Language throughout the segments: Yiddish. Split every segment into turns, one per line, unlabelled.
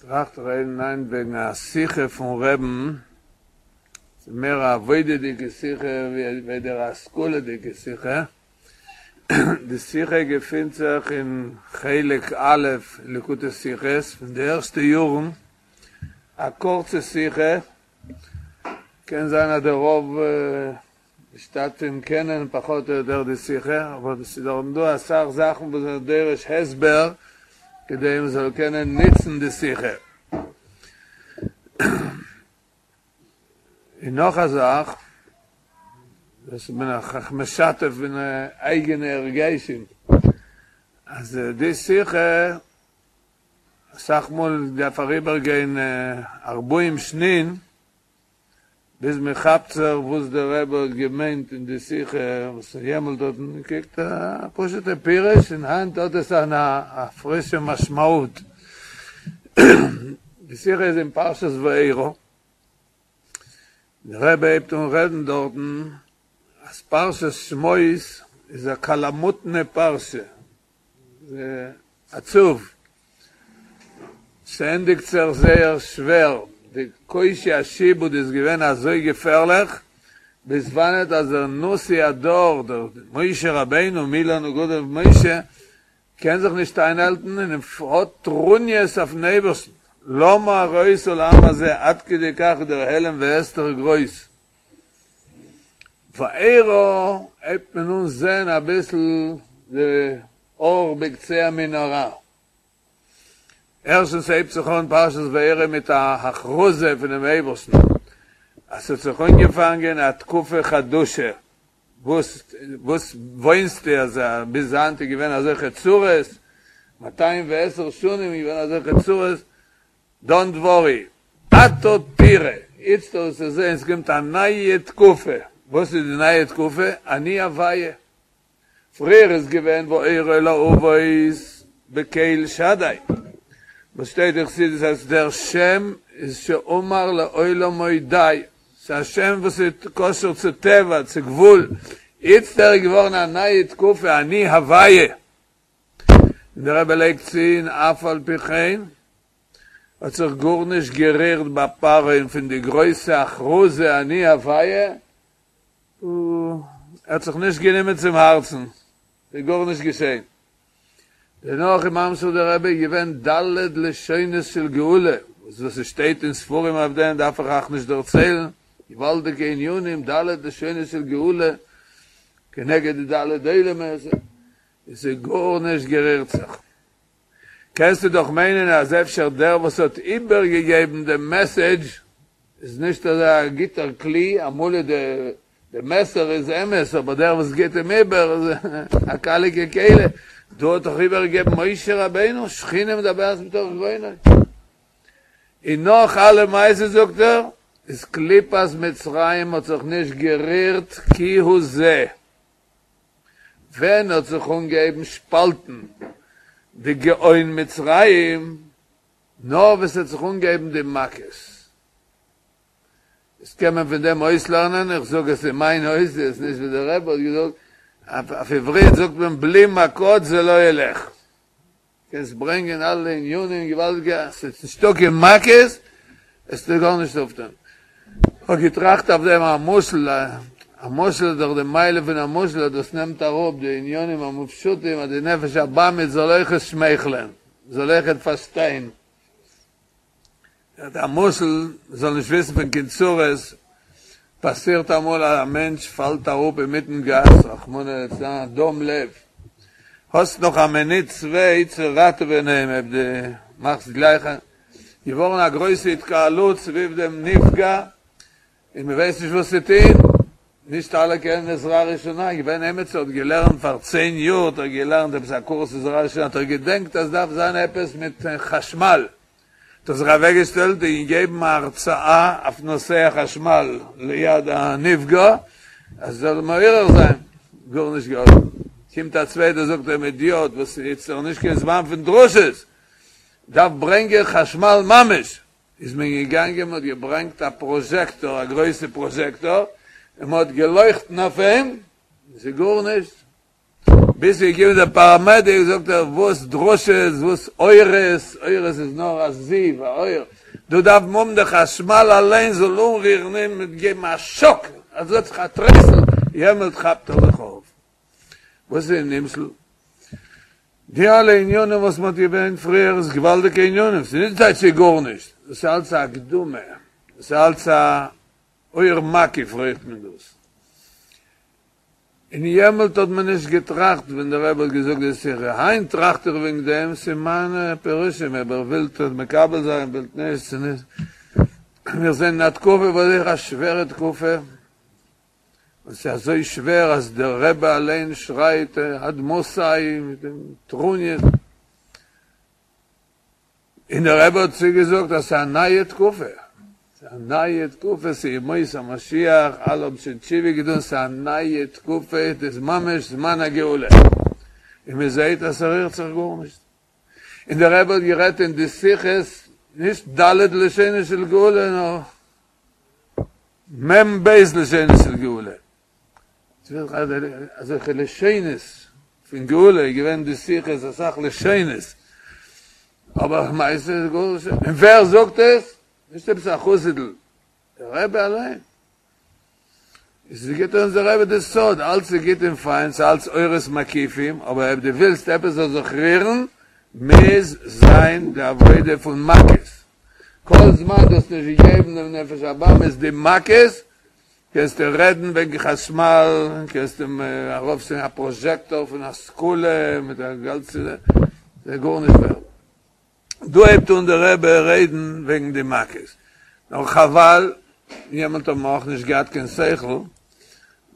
טראכט רעדן היינט וועגן א שיחה פון רעבן, ס'איז מער א עבודה'דיגע שיחה ווי איידער א השכלה'דיגע שיחה, די שיחה געפינט זיך אין חלק א' אין ליקוטי שיחות פון די ערשטע יארן, א קורצע שיחה, קען זיין אז די רוב משתתפים קענען פחות או יותר די שיחה, אבער עס איז דארטן דא אסאך זאכן וואס זענען דורש הסבר כדי מען זאל קענען נוצן די שיחה. און נאך א זאך, דאס בין איך משתף פון אייגענע הרגשים, אז די שיחה אסאך מאל דארף אריבער גיין ארבעים שנין ביז מען כאפט זיך וואס דער רבי האט געמיינט אין די שיחה וואס יעמאלט האט מען געקוקט א פשוטע פירוש און היינט האט עס אן א פרישע משמעות. די שיחה איז אין פרשת וארא, דער רבי הייבט אן רעדן דארטן אז פרשת שמות איז א קאלאמוטנע פרשה, עצוב, ס'ענדיגט זיך זייער שווער, די קושי השעבוד איז געווען אזוי געפערליך, ביז וואנעט אז דער נשיא הדור, דער משה רבינו, מי לנו גדול ממשה, קען זיך נישט איינהאלטן און האט טרוניות אויפן אייבערשטן, למה הרעותה לעם הזה, עד כדי כך איז דער העלם והסתר גרויס. וארא הייבט מען אן זען אביסל די אור בקצה המנהרה. ערשטנס הייבט זיך אן פרשת וארא מיט א הכרזה פונעם אייבערשטן אז ס'האט זיך אנגעפאנגען א תקופה חדשה, וואס וואס וויינסטו אז ביז היינט איז געווען אזעלכע צרות, מאתיים ועשר שנים איז געווען אזעלכע צרות, דאנט ווארי, עתה תראה, איצט וועסטו זען ס'קומט א נייע תקופה, וואס איז די נייע תקופה? אני הוויה, פריער איז געווען וארא אל האבות בקל שדי, וואס שטייט אין חסידות אז דער שם איז שאמר לעולמו די, ס'איז א שם וואס איז קשור צו טבע, צו גבול, איצטער איז געווארן א נייע תקופה אני הוויה, און דער רבי לייגט צו און אף על פי כן האט זיך גארנישט גערירט ביי פרעה'ן פון די גרויסע הכרזה אני הוויה, ער האט זיך נישט גענומען צום הארצן, ס'איז גארנישט געשען. דערנאך איז ממשיך דער רבי געווען ד' לשונות של גאולה, וואס וואס עס שטייט אין ספרים אויף דעם דארף איך אייך נישט דערציילן, געוואלדיגע ענינים, ד' לשונות של גאולה, כנגד די ד' עולמות, עס איז גארנישט גערירט זיך. קענסטו דאך מיינען אז אפשר דער וואס האט איבערגעגעבן דעם מעסעדזש איז נישט אזא גוטער כלי, אמאל איז די מעסער איז אמת אבער דער וואס גיבט אים איבער איז א קאליגע כלי, דא האט דאך איבערגעגעבן משה רבינו, שכינה מדברת מתוך גרונו. און נאך אלע מעשות זאגט ער, איז קליפת מצרים האט זיך נישט גערירט כי הוא זה. ווען האט זיך אנגעהויבן שפאלטן די גאון מצרים? נאר ווען ס'האט זיך אנגעהויבן די מכות. איז קען מען פון דעם אויסלערנען, איך זאג עס אין מיין אותיות, נישט ווי דער רבי האט געזאגט, אויף עברית זאגט מען בלי מכות זה לא ילך. קענסט ברענגען אלע ענינים געוואלדיגע, ס'איז נישטא קיין מכות, וועסטו גארנישט אויפטון. כ'האב געטראכט אויף דעם א משל, א משל איז דאך די מעלה פון א משל אז דאס נעמט אראפ די ענינים המופשטים אז די נפש הבהמית זאל אויכעט שמייכלען, זאל אויכעט פארשטיין. א משל, מ'זאל נישט וויסן פון קיין צרות, פאסירט אמאל אז א מענטש פאלט אראפ אינמיטן גאס, רחמנא לצלן, דום לב, האסט נאך א מינוט צוויי צו ראטעווען אים, אויב דו מאכסט גלייך א, געווארן א גרויסע התקהלות סביב דעם נפגע, און מען ווייסט נישט וואס צו טון, נישט אלע קענען עזרה ראשונה, געווען עמיצער האט געלערנט פאר צען יאר האט ער געלערנט עפעס א קורס עזרה ראשונה, האט ער געדענקט אז דארף זיין עפעס מיט חשמל, האט ער זיך אוועקגעשטעלט און געגעבן א הרצאה אויף נושא החשמל ליד הנפגע, אז עס זאל מעורר זיין, גארנישט געהאלפן, קומט א צווייטער זאגט אים אידיאט וואס איצט איז נישט קיין זמן פון דרשות, דארף ברענגען חשמל ממש, איז מען געגאנגען מען האט געברענגט א פראזשעקטאר, א גרויסע פראזשעקטאר, און מען האט געלויכטן אויף אים, עס איז גארנישט. ביז ס'איז געקומען דער פאראמעדיק זאגט ער וואס דרשות וואס אורות, אורות איז נאר א זיו א אור, דא דארף מען האבן די חשמל אליין זאל אנרירן אים מיט געבן א שאק אז עס האט זיך א טרייסל יעמאלט כאפט ער זיך אויף. וואס איז די נמשל? די אלע עניינים וואס מען האט געברענגט פריער איז געוואלדיגע עניינים, ס'איז נישט טייטש ס'איז גארנישט, דאס איז אלץ א הקדמה, דאס איז אלץ א אור מקיף רופט מען דאס. און יעמאלט האט מען נישט געטראכט ווען דער רבי האט געזאגט די שיחה, היינט טראכט איך וועגן דעם, ס'איז מיינע פירושים, אויב איר ווילט מקבל זיין, ווילט נישט, ס'איז נישט, מיר זענען אין א תקופה וואס איז א שווערע תקופה, און ס'איז אזוי שווער אז דער רבי אליין שרייט עד מתי מיט דעם טרוניא, און דער רבי האט צוגעזאגט אז ס'איז א נייע תקופה, ס'איז א נייע תקופה, ס'איז ימות המשיח, אלע האבן שוין תשובה געטון, ס'איז א נייע תקופה, דאס איז ממש זמן הגאולה, און מען זעט אז ס'רירט זיך גארנישט. און דער רבי האט גערעדט אין די שיחות נישט ד' לשונות של גאולה נאר מ"ב לשונות של גאולה. אזעלכע לשונות פון גאולה איז געווען די שיחות אסאך לשונות, אבער למעשה איז גארנישט, און ווער זאגט עס? נישט עפעס א חסיד'ל, דער רבי אליין. איז גיט אונז דער רבי די סוד, אלץ איז גוט און פיין, ס'איז אלץ אורות מקיפים, אבער אויב דו ווילסט עפעס זאל זיך רירן, מוז זיין די עבודה פון מכות. כל זמן דו האסט נישט געגעבן דעם נפש הבהמית די מכות, קענסטו רעדן וועגן חשמל, קענסטו ארויפשטעלן א פראזשעקטאר פון השכלה מיט א גאנצע, ס'איז גארנישט ווערד. דא הייבט אן דער רבי רעדן וועגן די מכות, נאר חבל, יעמאלט האבן מיר אויך נישט געהאט קיין שכל,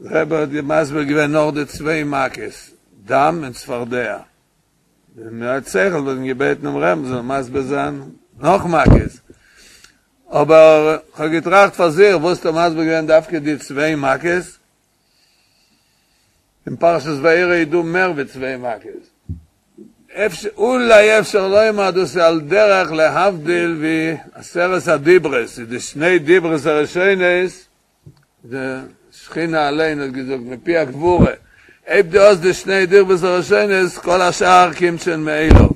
דער רבי האט מסביר געווען נאר די צוויי מכות, דם און צפרדע, ווען מען האט שכל וואלט מען געבעטן דעם רבי'ן זאל מסביר זיין נאך מכות, אבער כ'האב געטראכט פאר זיך, וואס האט ער מסביר געווען דווקא די צוויי מכות? אין פרשת וארא איז דא מער ווי צוויי מכות. אפשר, אולי אפשר לומר דאס איז על דרך להבדיל ווי עשרת הדיברות, איז די שני דיברות הראשונות, די שכינה אליין האט געזאגט מפי הגבורה, אויב דו האסט די שני דיברות הראשונות, כל השאר קומט שוין מאליו.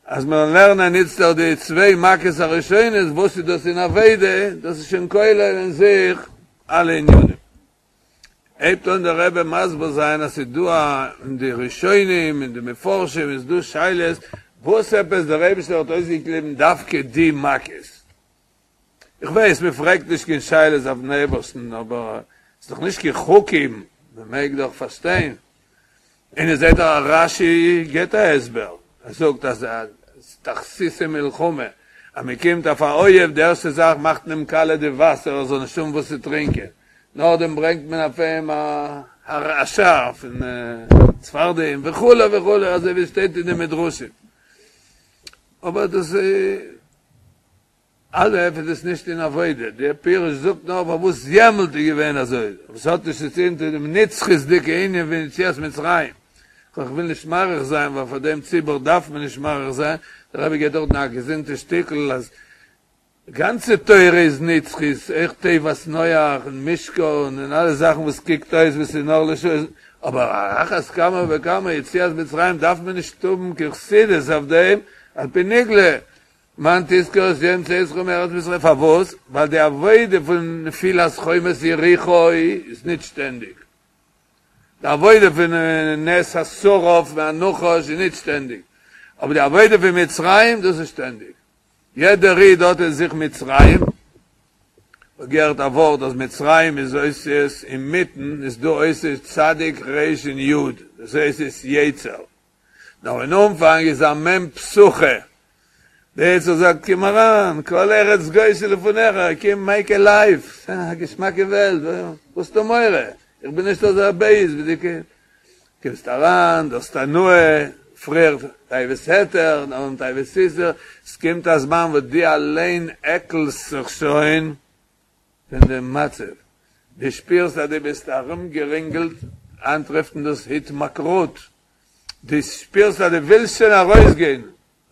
אז מיר לערנען איצטער די צוויי מכות הראשונות, וואס איז דאס אין עבודה, דאס איז שוין כולל אין זיך אלע ענינים. הייבט אן דער רבי מסביר זיין אז ס'איז דא א אין די ראשונים אין די מפרשים איז דא שאלות וואס עפעס דער אייבישטער האט אויסגעקליבן דווקא די מכות. איך ווייס מען פרעגט נישט קיין שאלות אויפן אייבערשטן אבער ס'איז דאך נישט קיין חוקים מען מעג דאך פארשטיין. און איר זעט דאך אז רש"י גיבט א הסבר, ער זאגט אז תכסיסי מלחמה, אז מען קומט אויף א אויב, די ערשטע זאך מאכט מען אים קאלע די וואסער ער זאל נישט האבן וואס צו טרינקען, נאכדעם ברענגט מען אויף אים א הרעשה פון צפרדעים וכו' וכו', אזוי ווי עס שטייט אין די מדרשים. אבער דאס איז. א' איז עס נישט אין עבודה, דער פירוש זאגט נאר פארוואס יעמאלט איז געווען אזוי, אבער ס'האט נישט צו טון צו דעם נצחיות'דיגע ענין פון יציאת מצרים, כ'וויל נישט מאריך זיין ווייל פאר דעם ציבור דארף מען נישט מאריך זיין, דער רבי געבט דארטן א געזונטע שטיקל אז די גאנצע תורה איז נצחית, אויך תיבת נח און משכן און אלע זאכן וואס קוקט אויס ווי ס'איז נאר לשעה, אבער על אחת כמה וכמה יציאת מצרים דארף מען נישט האבן קיין חסידות אויף דעם, על פי נגלה למען תזכור את יום צאתך מארץ מצרים, פארוואס? ווייל די עבודה פון נפילת חומת יריחו איז נישט שטענדיג, די עבודה פון נס השרף והנחש איז נישט שטענדיג, אבער די עבודה פון מצרים דאס איז שטענדיג, יעדער איד האט אין זיך מצרים, כ'האב געהערט א ווארט אז מצרים איז אותיות אינמיטן איז דא אותיות צדיק ר' און י', דאס הייסט איז יצר. נאר אין אנפאנג איז א מ' פתוחה, דער יצר זאגט קום אריין, כל ארץ גושן לפניך, קום מעיק א לייף, א געשמאקע וועלט, וואס האסטו מורא, איך בין נישט אזא בייז ווי דו קומסט אריין, דו האסט הנאה, פריער תאוות היתר, נאכדעם תאוות איסור, עס קומט א זמן וואס דו אליין עקלסט זיך שוין פון דעם מצב, דו שפירסט אז דו ביסט ארומגערינגלט, היינט רופט מען דאס התמכרות, דו שפירסט אז דו ווילסט שוין ארויסגיין,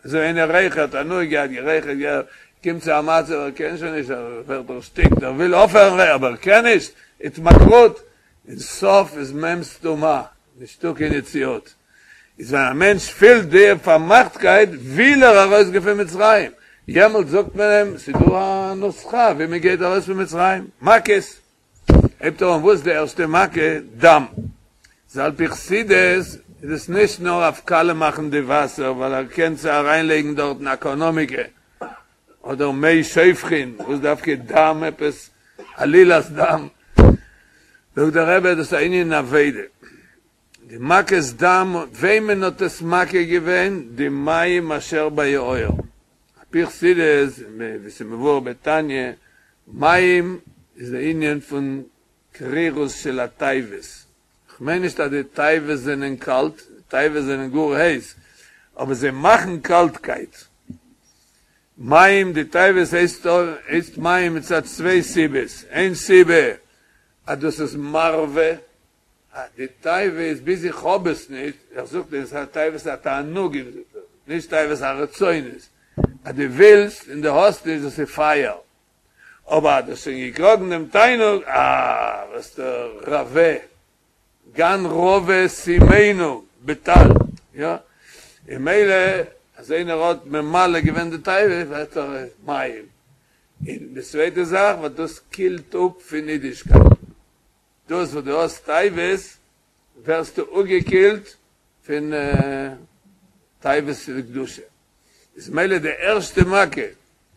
אזוי איינער רייכערט, הנאה געהאט, גערייכערט, גערייכערט, קומט צו א מצב ער קען שוין נישט, ער ווערט דערשטיקט, ער וויל אויפהערן רייכערן אבער ער קען נישט, התמכרות, אין סוף איז מ' סתומה. נישטא קיין יציאות. איז ווען א מענטש פילט די פארמאכטקייט וויל ער ארויסגיין פון מצרים, יעמאלט זאגט מען אים ס'איז דא א נוסחא ווי מען גייט ארויס פון מצרים, מכות. הייבט ער אן וואס די ערשטע מכה? דם. איז על פי חסידות איז עס נישט נאר אויף קאלע מאכן די וואסער ווייל ער קען צו אריינלייגן דארטן אקאנאמיקע אדער מי שופכין, וואס דווקא דם עפעס עלילת דם, זאגט דער רבי דאס איז א ענין אין עבודה, די מכת דם וועמען האט עס מכה געווען? די מים אשר ביאור, על פי חסידות ווי ס'מבואר בתניא, מים איז די ענין פון קרירות של התאוות, כ'מיין נישט אז די תאוות זענען קאלט, די תאוות זענען גאר הייס, אבער זיי מאכן קאלטקייט. מים, די תאוות הייסט הייסט מים מצד צוויי סיבות, איין סיבה אז דאס איז מרווה, די תאווה איז ביז איך האב עס נישט, איך זאג דיר עס איז תאוות התענוגים זאגט ער, נישט תאוות הרצונות, אז דו ווילסט און דו האסט נישט דאס איז פייער, אבער אז דו האסט שוין געקראגן דעם תענוג, אה, ווערסטו רבה, גן רבה שימנו בטל, יא, און מילא אז איינער האט ממלא געווען די תאווה ווערט ער מים, און די צווייטע זאך וואס דאס קילט אפ פון אידישקייט, דאס וואס דו האסט תאוות ווערסטו אפגעקילט פון תאוות דקדושה, איז מילא די ערשטע מכה,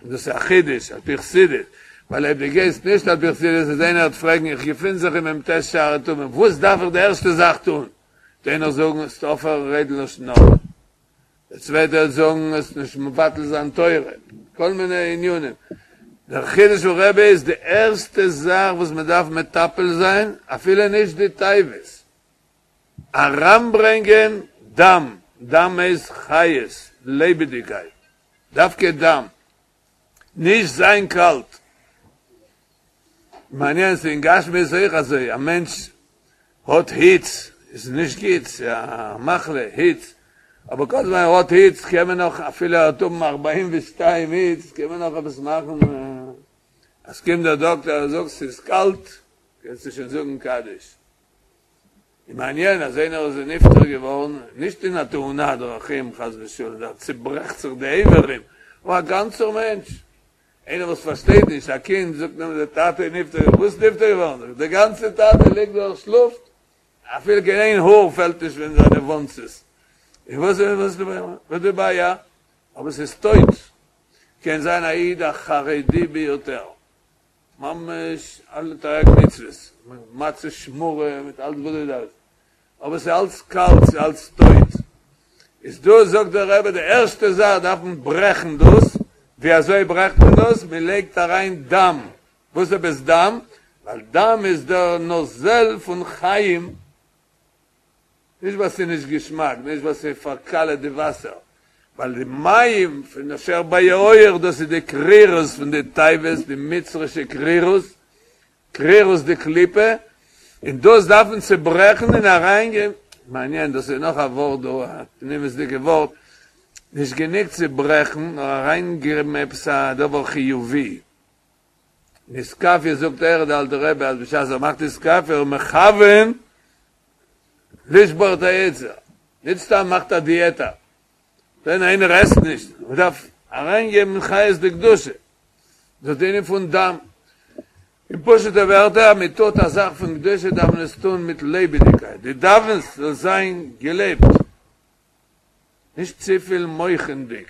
און דאס איז א חידוש על פי חסידות, ווייל אויב דו גייסט נישט על פי חסידות איז איינער וועט פרעגן איך געפין זיך אין מ"ט שערי טומאה וואס דארף איך די ערשטע זאך טון, וועט איינער זאגן זאלסט אויפהערן רעדן לשון הרע, דער צווייטער וועט זאגן זאלסט נישט מבטל זיין תורה, כל מיני ענינים. דער חידוש פון רבי איז די ערשטע זאך וואס מען דארף מטפל זיין, אפילו נישט די תאוות, אריינברענגען דם, דם איז חיות, לעבעדיגקייט, דווקא דם, נישט זיין קאלט. מעניין, ס'איז אין גשמיות אויך אזוי, א מענטש האט היץ, איז נישט גוט, ס'איז א מחלה, היץ, אבער כל זמן ער האט היץ קען מען נאך, אפילו ער וועט האבן ארבעים ושתיים היץ, קען מען נאך עפעס מאכן, אז קומט דער דאקטער ער זאגט ס'איז קאלט, קענסטו שוין זאגן קדיש. און מעניין אז איינער איז נפטר געווארן, נישט אין א תאונת דרכים חס ושלום, דארט צוברעכט זיך די איברים, אבער א גאנצער מענטש, איינער וואס פארשטייט נישט, א קינד זאגט אים דער טאטע איז נפטר געווארן, וואס נפטר געווארן? זאגט ער, דער גאנצער טאטע ליגט דארט שלאפט, אפילו קיין איין האר פעלט נישט פון זיינע וואנצעס, און וואס איז וואס די בעיה? אבער ס'איז טויט, קען זיין א איד א חרדי ביותר, ממש אלע תרי"ג מצוות, מצה שמורה מיט אלץ וואס דו דארפסט, אבער ס'איז אלץ קאלט, ס'איז אלץ טויט. איז דא זאגט דער רבי די ערשטע זאך דארף מען ברעכן דאס, ווי אזוי ברעכט מען דאס? מען לייגט אריין דם, וואס עפעס דם? ווייל דם איז דער נוזל פון חיים, נישט ווייל ס'איז נישט געשמאק, נישט ווייל ס'פארקאלעט די וואסער, ווייל די מים פון אשר ביאור דאס איז די קרירות פון די תאוות, די מצרישע קרירות, קרירות דקליפה, און דאס דארף מען צוברעכן און אריינגעבן, מעניין, דאס איז נאך א ווארט דא, א פנימיות'דיגע ווארט, נישט גענוג צוברעכן, נאר אריינגעבן עפעס א דבר חיובי. אין אתכפיא זאגט ער, דער אלטער רבי, אז בשעת ער מאכט אתכפיא איז מכוון לשבור את היצר, נישט סתם מאכט א דיעטע, ווען איינער עסט נישט, מען דארף אריינגעבן חיות דקדושה, דאס איז די ענין פון דם. אין פשוט'ע ווערטער, אז מען טוט א זאך פון קדושה דארף מען עס טון מיט לעבעדיגקייט, דו דאווענסט זאל זיין געלעבט, נישט צופיל מוח'נדיג.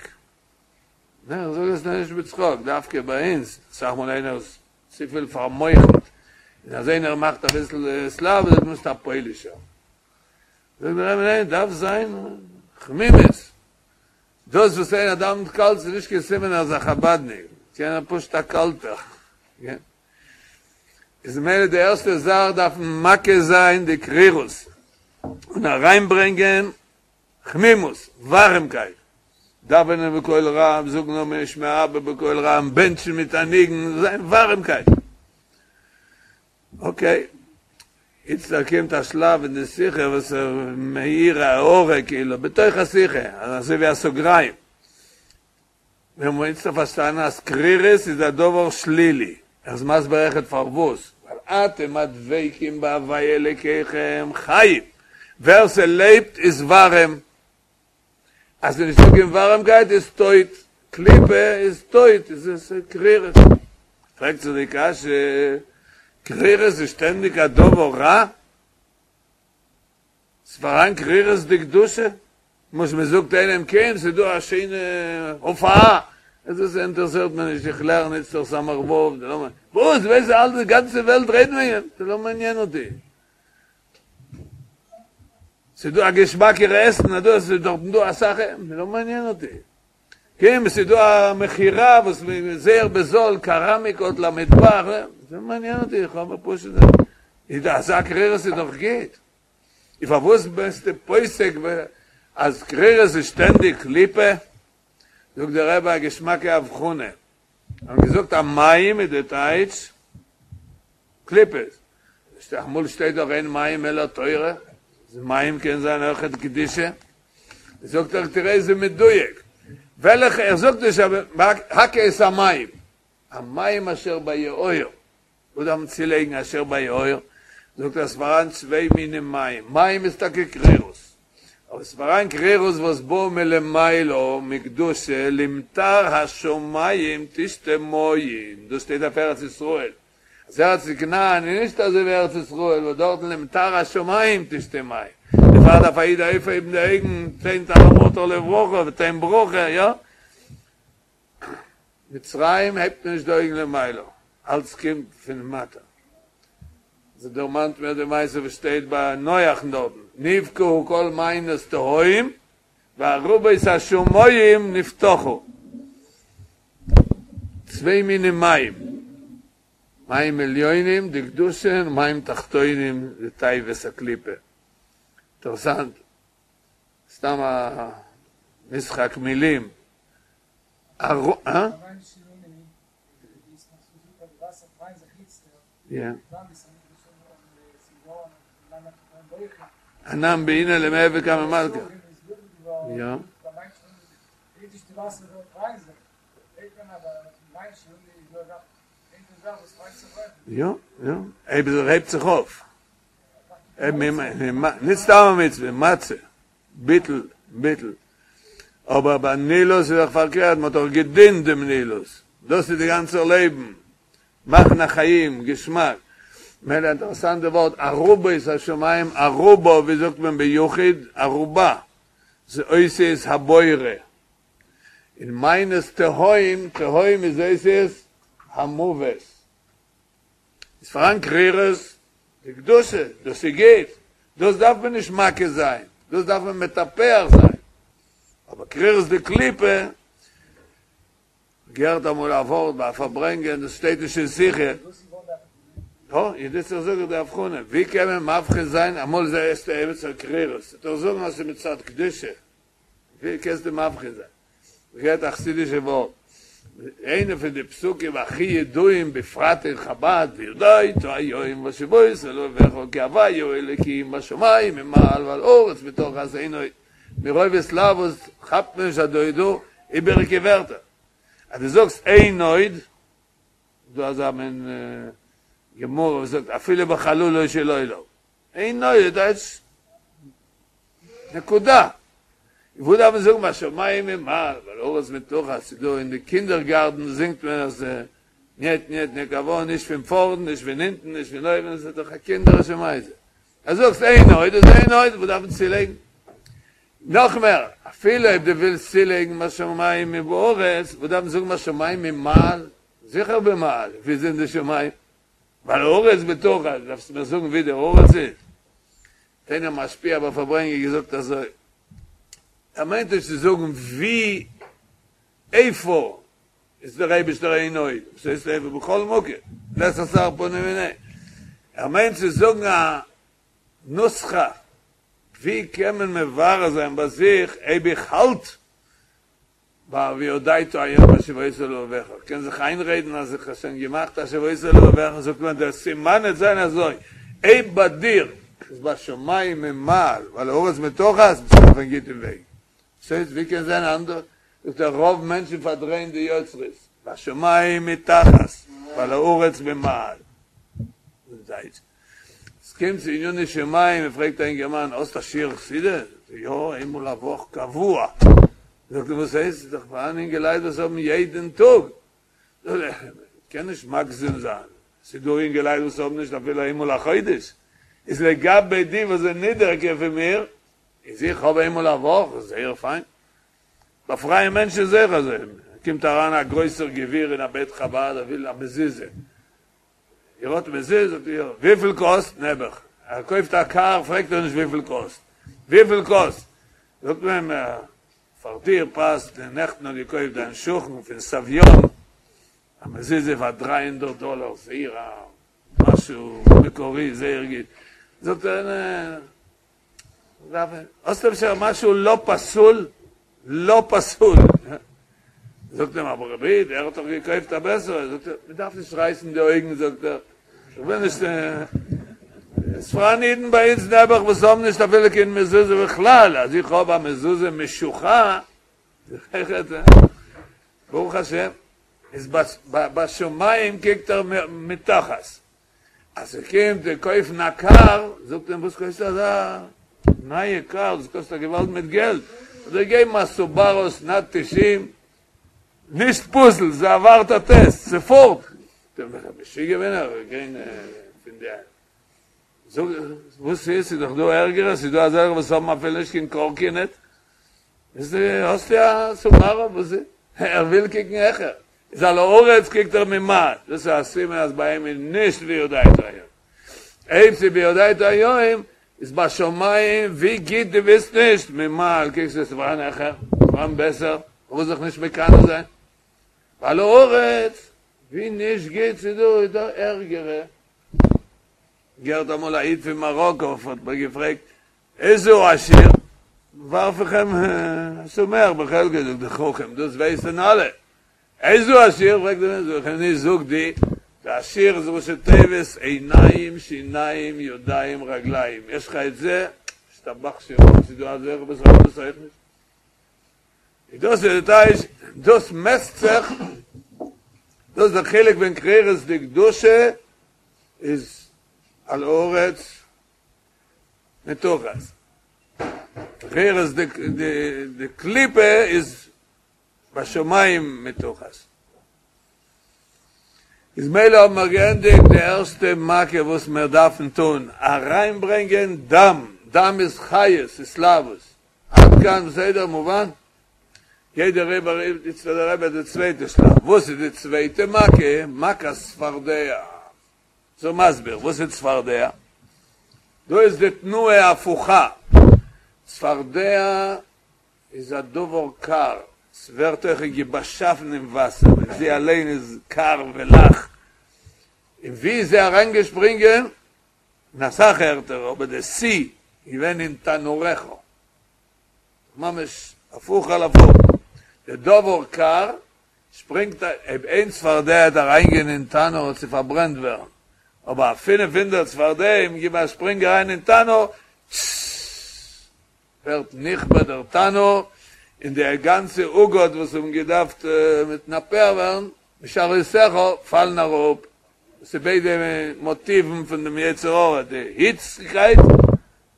ניין, איך זאג עס נישט בצחוק, דווקא ביי אונז, אסאך מאל איינער איז צופיל פאר'מוח'נט, און אז איינער מאכט אביסל התלהבות, דו ביסט א פוילישער. זאגט דער רבי ניין, דארף זיין חמימות. דאס וואס איינער דאווענט קאלט איז נישט קיין סימן אז ער איז א חבדניק, קען זיין פשוט א קאלטער. איז ממילא די ערשטע זאך דארף מען מכה זיין די קרירות און אריינברענגען חמימות, ווארעמקייט, דאווענען בקול רם, זאגן אמן שמיה אבא בקול רם, בענטשן מיט א ניגון, זיין ווארעמקייט. אקעי, איצטער קומט א שלב אין די שיחה וואס ער מעיר א הערה כאילו בתוך השיחה, אזוי ווי א סוגריים. מיר האבן איצטער פארשטאנען אז קרירות איז א דבר שלילי, ער איז מסביר אויכעט פארוואס, ווייל אתם הדבקים בהוויה אלוקיכם חיים. ווער ס'לעבט איז ווארעם, אז ס'איז נישטא קיין ווארעמקייט איז טויט, קליפה איז טויט, איז עס קרירות. פרעגט זיך די קשיא, קרירות איז שטענדיג א דבר רע? ס'פארהאן קרירות דקדושה? למשל מ'זאגט איינעם קום ס'איז דא א שיינע הופעה, עס אינטערעסירט מיר נישט איך לערן איצטער סמך ו', וואס? ווייסט אלע די גאנצע וועלט רעדט וועגן דעם, ס'לא מעניין אותי. ס'איז דא א געשמאקערע עסן, אז דא עס איז דארטן דא אסאך, לא מעניין אותי. כן, ס'איז דא א מכירה וואס זייער בזול, קעראמיקות למטבח, לא מעניין אותי, איך האב פשוט, איז דא אזא קרירות איז דאך גוט. און פארוואס ביסטו פוסק אז קרירות איז שטענדיג קליפה? זאגט דער רבי א געשמאקע הבחנה, האבן געזאגט אז מים איז די טייטש קליפות, אמאל שטייט דאך אין מים אלא תורה, מים קען זיין אויכעט קדושה, זאגט ער תראה איזה מדויק, וועלכע, ער זאגט נישט אבער הכה את המים, המים אשר ביאור, וואס דארף מען צולייגן אשר ביאור? זאגט ער ס'פאראן צוויי מינים מים, מים איז טאקע קרירות, אבער ס'פאראן קרירות וואס בא מלמעלה מקדושה למטר השמים תשתה מים, דאס שטייט אויף ארץ ישראל, אז ארץ כנען איז נישט אזוי ווי ארץ ישראל וואס דארטן למטר השמים תשתה מים, דערפאר דארף א איד אויפהייבן די אויגן, תן טל ומטר לברכה ותן ברכה, יא? מצרים הייבט מען נישט די אויגן למעלה, אלץ קומט פון מטה. ס'דערמאנט מיר די מעשה וואס שטייט ביי נוח'ן דארטן, נבקעו כל מעיינות תהום וארובות השמים נפתחו. צוויי מיני מים, מים עליונים דקדושה און מים תחתונים דתאוות הקליפה. אינטערעסאנט, סתם א משחק מילים. אנן בעינא למהוי קמי מלכא. יא. יא, יא, אויב עס הייבט זיך אויף. נישט סתם א מצוה, מצה, ביטול, ביטול. אבער ביי נילוס איז דאך פארקערט, מען האט דאך געדינט דעם נילוס, דאס איז די גאנצע לעבן, מאכן א חיים, געשמאק. מילא אינטערעסאנט די ווארט ארובות השמים, ארובה, ווי זאגט מען ביחיד? ארובה, זה אותיות הבורא. און מעיינות תהום, תהום איז אותיות המוות. איז פאראן קרירות דקדושה, דאס איז גוט, דאס דארף מען נישט מכה זיין, דאס דארף מען מטפח זיין, אבער קרירות דקליפה, געהערט אמאל א ווארט ביי א פארברענגען, דאס שטייט נישט אין שיחה, יא, איז דאס איך זאג די הבחנה, ווי קען מען מבחין זיין, אמאל איז עס עמיצער קרירות, וועט ער זאגן אז ס'איז מצד קדושה, ווי קענסטו מבחין זיין? געהערט א חסידישע ווארט, איינע פון די פסוקים הכי ידועים בפרט אין חבד, וידעת היום והשבות אל לבבך כי הוי' הוא האלקים בשמים ממעל ועל הארץ מתחת אין עוד, מרוב התלהבות כאפט מען נישט אז דא איז דא איבעריגע ווערטער, אז דו זאגסט אין עוד, דא אזא מין גמרא וואס זאגט אפילו בחללו של עולם. אין עוד טייטש נקודה. וואו דארף מען זאגן בשמים ממעל ועל הארץ מתחת, ס'איז דא אין די קינדערגארטן זינגט מען אז ניעט ניעט ניקאווא, נישט פון פארנט נישט פון הינטן נישט פון אויבן, עס איז דאך א קינדערישע מעשה. אז זאגסט אין עוד איז אין עוד, וואו דארף מען צולייגן? נאך מער, אפילו אויב דו ווילסט צולייגן בשמים מבארץ, וואו דארף מען זאגן בשמים ממעל? זיכער במעל, ווי זענען די שמים? ועל הארץ מתחת, דארפסט מיר זאגן ווי די הארץ איז? האט איינער משפיע ביי פארברענגען געזאגט אזוי, ער מיינט נישט צו זאגן ווי, איפה איז דער אייבישטער אין עוד, וואס הייסט איפה בכל מקום, לית אתר פנוי מיניה, ער מיינט צו זאגן א נוסחא, ווי קען מען מברר זיין ביי זיך אויב איך האלט ביי וידעת היום והשבות אל לבבך, קען זיך איינרעדן אז איך האב שוין געמאכט והשבות אל לבבך, זאגט מען דער סימן וועט זיין אזוי, אויב ביי דיר איז בשמים ממעל ועל הארץ מתחת, ביסטו אויפן גוטן וועג. וואס הייסט ווי קען זיין אנדערש? זאגט ער רוב מענטשן פארדרייען די יוצרות, בשמים מתחת ועל הארץ ממעל. עס ס'קומט צו עניני שמים, מען פרעגט א אינגערמאן, האסט א שיעור חסידות? זאגט ער, יא, איינמאל א וואך קבוע. זאגט ער, וואס הייסט? ס'איז דאך פארהאן אינגעלייט וואס האבן יעדן טאג. זאגט ער, מ'קען נישט מגזים זיין, ס'איז דא אינגעלייט וואס האבן נישט אפילו איינמאל א חודש. איז לגבי די וואס זענען נידעריגער פון מיר, איז איך האב איינמאל א וואך, זייער פיין. ביי פרייע מענטשן איז אויך אזוי, קומט אריין א גרויסער גביר אין א בית חבד, ער וויל א מזוזה. איר האט מזוזה? זאגט ער, יא. וויפיל קאסט? נעבעך. ער קויפט א קאר, פרעגט ער נישט וויפיל קאסט. וויפיל קאסט? זאגט מען אים, פאר דיר פאסט, נעכטן האט געקויפט דיין שכן פון סביון א מזוזה פאר דריי הונדערט דאלער, זייער א משהו מקורי, זייער גוט. זאגט ער, נע. האסט אפשר משהו לא פסול? לא פסול! זאגט אים אבער רבי, דער האט דאך געקויפט א בעסערע, זאגט ער, מען דארף נישט רייסן די אויגן, זאגט ער, איך וויל נישט, עס פאראן אידן ביי אונז נעבעך וואס האבן נישט אפילו קיין מזוזה בכלל, אז איך האב א מזוזה משוחה, ברוך השם, איז בשמים קוקט ער מתחת. אז ס'קומט צו קויפן א קאר, זאגט אים וואס קויפסטו אזא נייע קאר, דאס קאסט א געוואלד מיט געלט, האט ער געגעבן א סובארו שנת תשעים, נישט פסול, ס'עברט א טעסט, ס'פארט, זאגט אים משוגע בין איך, גיין פון די, זאג וואס איז, ס'איז דאך דא ערגערע, ס'איז דא אזעלכע וואס האבן אפילו נישט קיין קארקינעט, האסטו א סובארו, וואס איז, ער וויל קוקן העכער. איז על הארץ קוקט ער ממעל, דאס איז א סימן אז ביי אים איז נישט וידעת היום. אויב ס'איז וידעת היום, איז בשמים ווי גוט דו ביסט נישט, ממעל קוקסטו עס איז פארהאן העכער, פארהאן בעסער, פארוואס זיך נישט מקנא זיין? ועל הארץ ווי נישט גוט ס'איז דא, איז דא ערגערע. געהערט אמאל א איד פון מאראקא האט מיר געפרעגט, איזהו עשיר? ווארף איך אים השמח בחלקו, זאגט דער חכם, דאס ווייסן אלע. איזהו עשיר? פרעגט ער מיר, זאג איך אים, נישט זאג דו, דער עשיר איז ראשי תיבות עיניים שיניים ידיים רגליים, יש לך את זה, ישתבח שמו, ס'איז דא אזעלכע וואס האבן דאס אויך נישט. איז דאס איז די טייטש, דאס מעסט זיך, דאס איז דער חילוק בין קרירות דקדושה איז על הארץ מתחת. קרירות דקליפה איז בשמים מתחת. איז מילא האבן מיר געענדיגט די ערשטע מכה וואס מיר דארפן טון, אריינברענגען דם, דם איז חיות, התלהבות. עד כאן בסדר? מובן? גייט דער רבי איצט דער רבי די צווייטע שלב, וואס איז די צווייטע מכה? מכת צפרדע. זיי מסביר, וואס איז צפרדע? דא איז די תנועה הפוכה, צפרדע איז א דבר קר, ס'ווערט אויך געבאשאפן אין וואסער, און זי אליין איז קר ולח, און ווי איז זי אריינגעשפרינגען? אין אסאך ערטער, אבער די שיא איז געווען אין תנוריך, ממש הפוך על הפוך, די דבר קר שפרינגט אויב איין צפרדע וועט אריינגיין אין תנור וועט זי פארברענט ווערן, אבער א פינף הונדערט צפרדעים גיבן א שפרינג אריין אין תנור, טששש ווערט נכבה דער תנור, און די גאנצע עוגות וואס האבן געדארפט מתנפח ווערן משארותיך פאלן אראפ, דאס איז ביידע מאטיוון פון דעם יצר הרע, די היציקייט,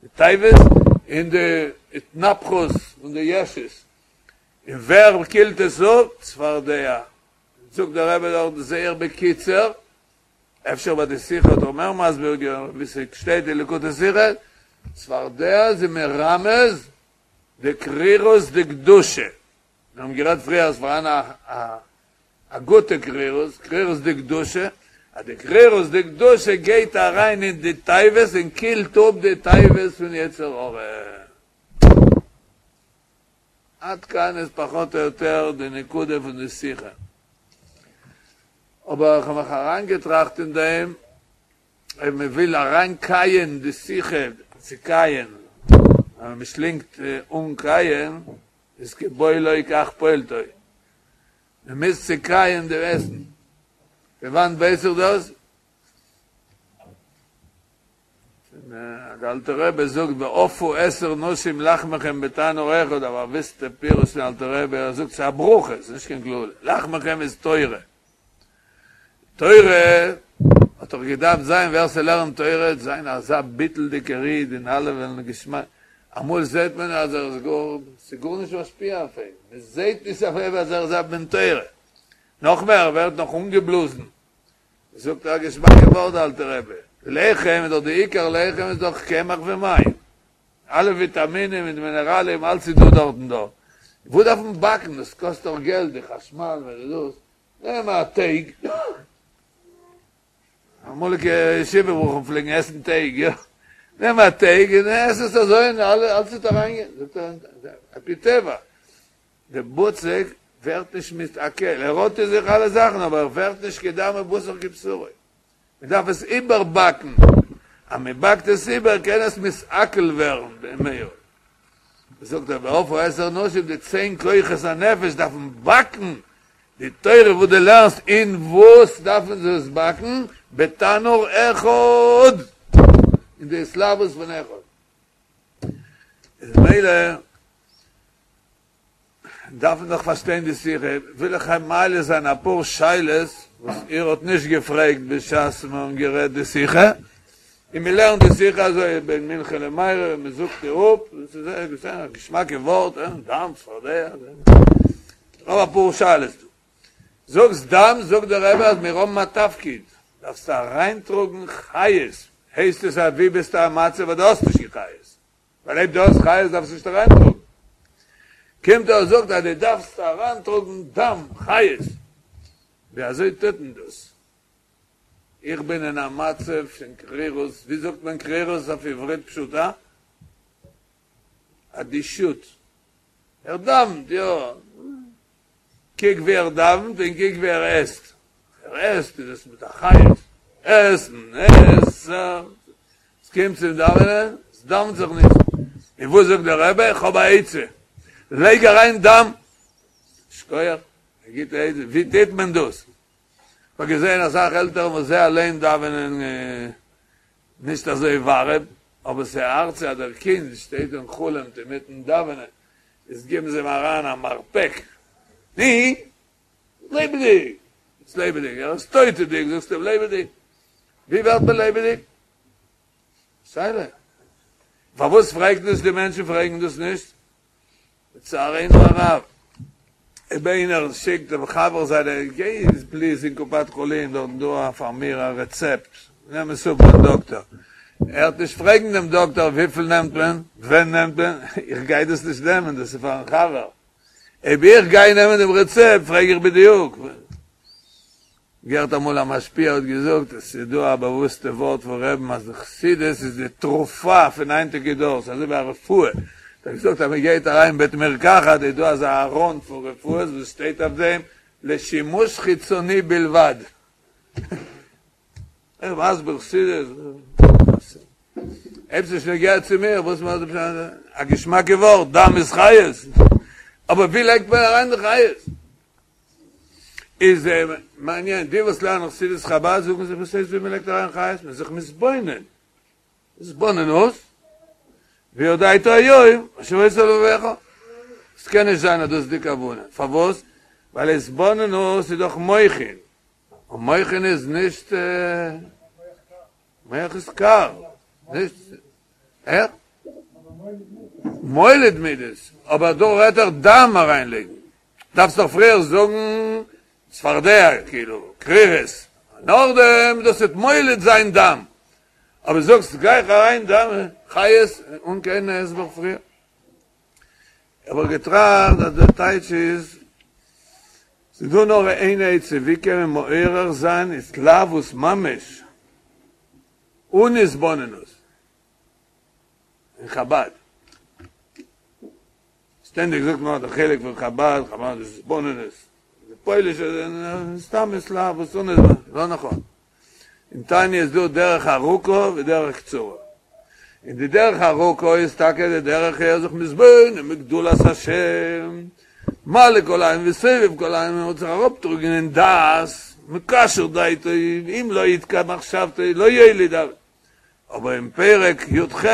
די תאוות, און די התנפחות פון די ישות. און ווער קילט עס אפ? צפרדע. זאגט דער רבי דארט זייער בקיצור, אפשר ביי די שיחה האט ער מער מסביר געווען ווי ס'שטייט אין ליקוטי שיחות, צפרדע איז מרמז די קרירות דקדושה, מיר האבן גערעדט פריער אז פארהאן א א גוטע קרירות, קרירות דקדושה, אז די קרירות דקדושה גייט אריין אין די תאוות און קילט אפ די תאוות פון יצר הרע. עד כאן איז פחות או יותר די נקודה פון די שיחה. אבער איך האב מיך אריינגעטראכט אין דעם, אויב מען וויל אריינקייען די שיחה, צו קייען, אז מען שלינגט אן קייען, איז כבולעו כך פולטו. מען מוז צוקייען די עסן. פון וואנט ווייס איך דאס? דער אלטער רבי זאגט ואפו עשר נשים לחמכם בתנור אחד, אבער א וויסטע פירוש פון אלטער רבי, ער זאגט ס'איז א ברכה, ס'איז נישט קיין קללה, לחמכם איז תורה, תורה האט. וואלט דאך געדארפט זיין ווער ס'לערנט תורה זיין אזא ביטול'דיגער איד און אלע וועלן געשמאק, אמאל זעט מען אז ער איז גאר, ס'איז גארנישט משפיע אויף אים, מ'זעט נישט אויף אים אז ער איז א בן תורה, נאך מער ער ווערט נאך אנגעבלאזן, זאגט א געשמאקע ווארט די אלטע רבי, לחם איז דאך די עיקר לחם איז דאך קמח ומים, אלע וויטאמינען מיט מינעראלען אלץ איז דא דארטן דא, וואס דארף מען באקן, דאס קאסט דאך געלט, די חשמל מיט דאס, נעם א טייג, אמאליגע ישיבה בחורים פלעגן עסן טייג, יא, נעם א טייג און עס עס אזוי און אלץ וועט אריינגיין, זאגט ער, על פי טבע, די בצק ווערט נישט מתעכל, ער האט אין זיך אלע זאכן אבער ער ווערט נישט כדם ובשר כבשרו, מען דארף עס איבערבאקן, אז מען באקט עס איבער קען עס מתעכל ווערן במהרה. זאגט ער ואפו עשר נשים די צען כוחות הנפש דארפן באקן די תורה וואס דו לערנסט אין וואס דארפן זיי עס באקן? בתנור אחד! אין די התלהבות פון אחד. איז מילא דארף מען דאך פארשטיין די שיחה, וויל איך מעלה זיין אפאר שאלות וואס איר האט נישט געפרעגט בשעת מיר האבן גערעדט די שיחה, און מען לערנט די שיחה אזוי בין מנחה למעריב און מען זאגט איר אפ, דאס איז זייער א געשמאקע ווארט, דם צפרדע, איך האב אפאר שאלות דא. זאגסט דם, זאגט דער רבי אז מיר האבן א תפקיד, דארפסט אריינטראגן חיות, הייסט עס אז ווי ביסטו א מצב אז דו האסט נישט קיין חיות? ווייל אויב דו האסט חיות דארפסטו נישט אריינטראגן. קומט ער און זאגט אז דו דארפסט אריינטראגן דם, חיות. ווי אזוי טוט מען דאס? איך בין אין א מצב פון קרירות, ווי זאגט מען קרירות אויף עברית פשוטה? אדישות. ער דאווענט, יא. קוק ווי ער דאווענט און קוק ווי ער עסט. ער עסט איז עס מיט א חיות. עסן, עסן. עס קומט צום דאווענען, עס דאווענט זיך נישט. און וואס זאגט דער רבי? איך האב א עצה. לייג אריין דם. שכוח, א גוטע עצה. ווי טוט מען דאס? איך האב געזען אסאך עלטערן וואס זיי אליין דאווענען נישט אזוי ווארעם, אבער ס'ארט זיי אז דער קינד שטייט און חלומ'ט אינמיטן דאווענען, איז גיבן זיי אים אריין א מרפק, ני, לעבעדיג! איז לעבעדיג, ער איז טויטעדיג, זאגסטו אים לעבעדיג? ווי ווערט מען לעבעדיג? שאלה. פארוואס פרעגט נישט די מענטשן פרעגן דאס נישט? לצערינו הרב, אויב איינער שיקט דעם חבר זיינע, גיי פליז אין קופת חולים דארטן דא פאר מיר א רעצעפט, נעם עס אפ ביים דאקטער. ער וועט נישט פרעגן דעם דאקטער וויפיל נעמט מען, ווען נעמט מען, איך גיי דאס נישט נעמען, דאס איז פארן חבר. אויב איך גיי נעמען דעם רעצעפט פרעג איך בדיוק. געהערט אמאל א משפיע האט געזאגט, עס איז דא א באוואוסטע ווארט פון רעבן אז די חסידות איז די תרופה פון היינטיגע דור, ס'איז אזוי ווי א רפואה, האט ער געזאגט אז מען גייט אריין אין בית מרקחת איז דא אזא ארון פון רפואות וואס שטייט אויף דעם לשימוש חיצוני בלבד. איך מסביר חסידות, אויב ס'נישט נוגע צו מיר, וואס מיר א געשמאקע ווארט, דם איז חיות, אבער ווי לייגט מען אריין די חיות? איז מעניין, די וואס לערנען חסידות חבד זאגן זיי וואס הייסט ווי מ'לייגט אריין חיות? מ'איז זיך מתבונן, התבוננות, וידעת היום אשר עשה לבבך, עס קען נישט זיין אז דאס איז די כוונה, פארוואס? ווייל התבוננות איז דאך מוחין, און מוחין איז נישט, מח איז קר, נישט, איך? מוליד מידות, אבער דא רעדט ער דם אריינלייגן, דארפסט דאך פריער זאגן צפרדע, כאילו, קרירות, נאכדעם דאס וועט מוליד זיין דם, אבער זאגסט גלייך אריין דם, חיות, אן קיין הסבר פריער. האב איך געטראכט אז דער טייטש איז, ס'איז דא נאר איין עצה ווי קען מען מעורר זיין התלהבות ממש אן התבוננות אין חבד. שטענדיג זאגט מען אז די חלק פון חבד, חבד איז התבוננות, די פוילישע זענען סתם התלהבות אן התבוננות, לא נכון. אין תניא איז דא דרך ארוכה ודרך קצרה. און די דרך ארוכה איז טאקע די דרך ער זיך מתבונן בגדולת השם, מלא כל עלמין וסובב כל עלמין, מען וועט זיך אראפטראגן אין דעת, מקשר דעתו, אם לא יתקע מחשבתו לא יוליד, אבער אין פרק י"ח,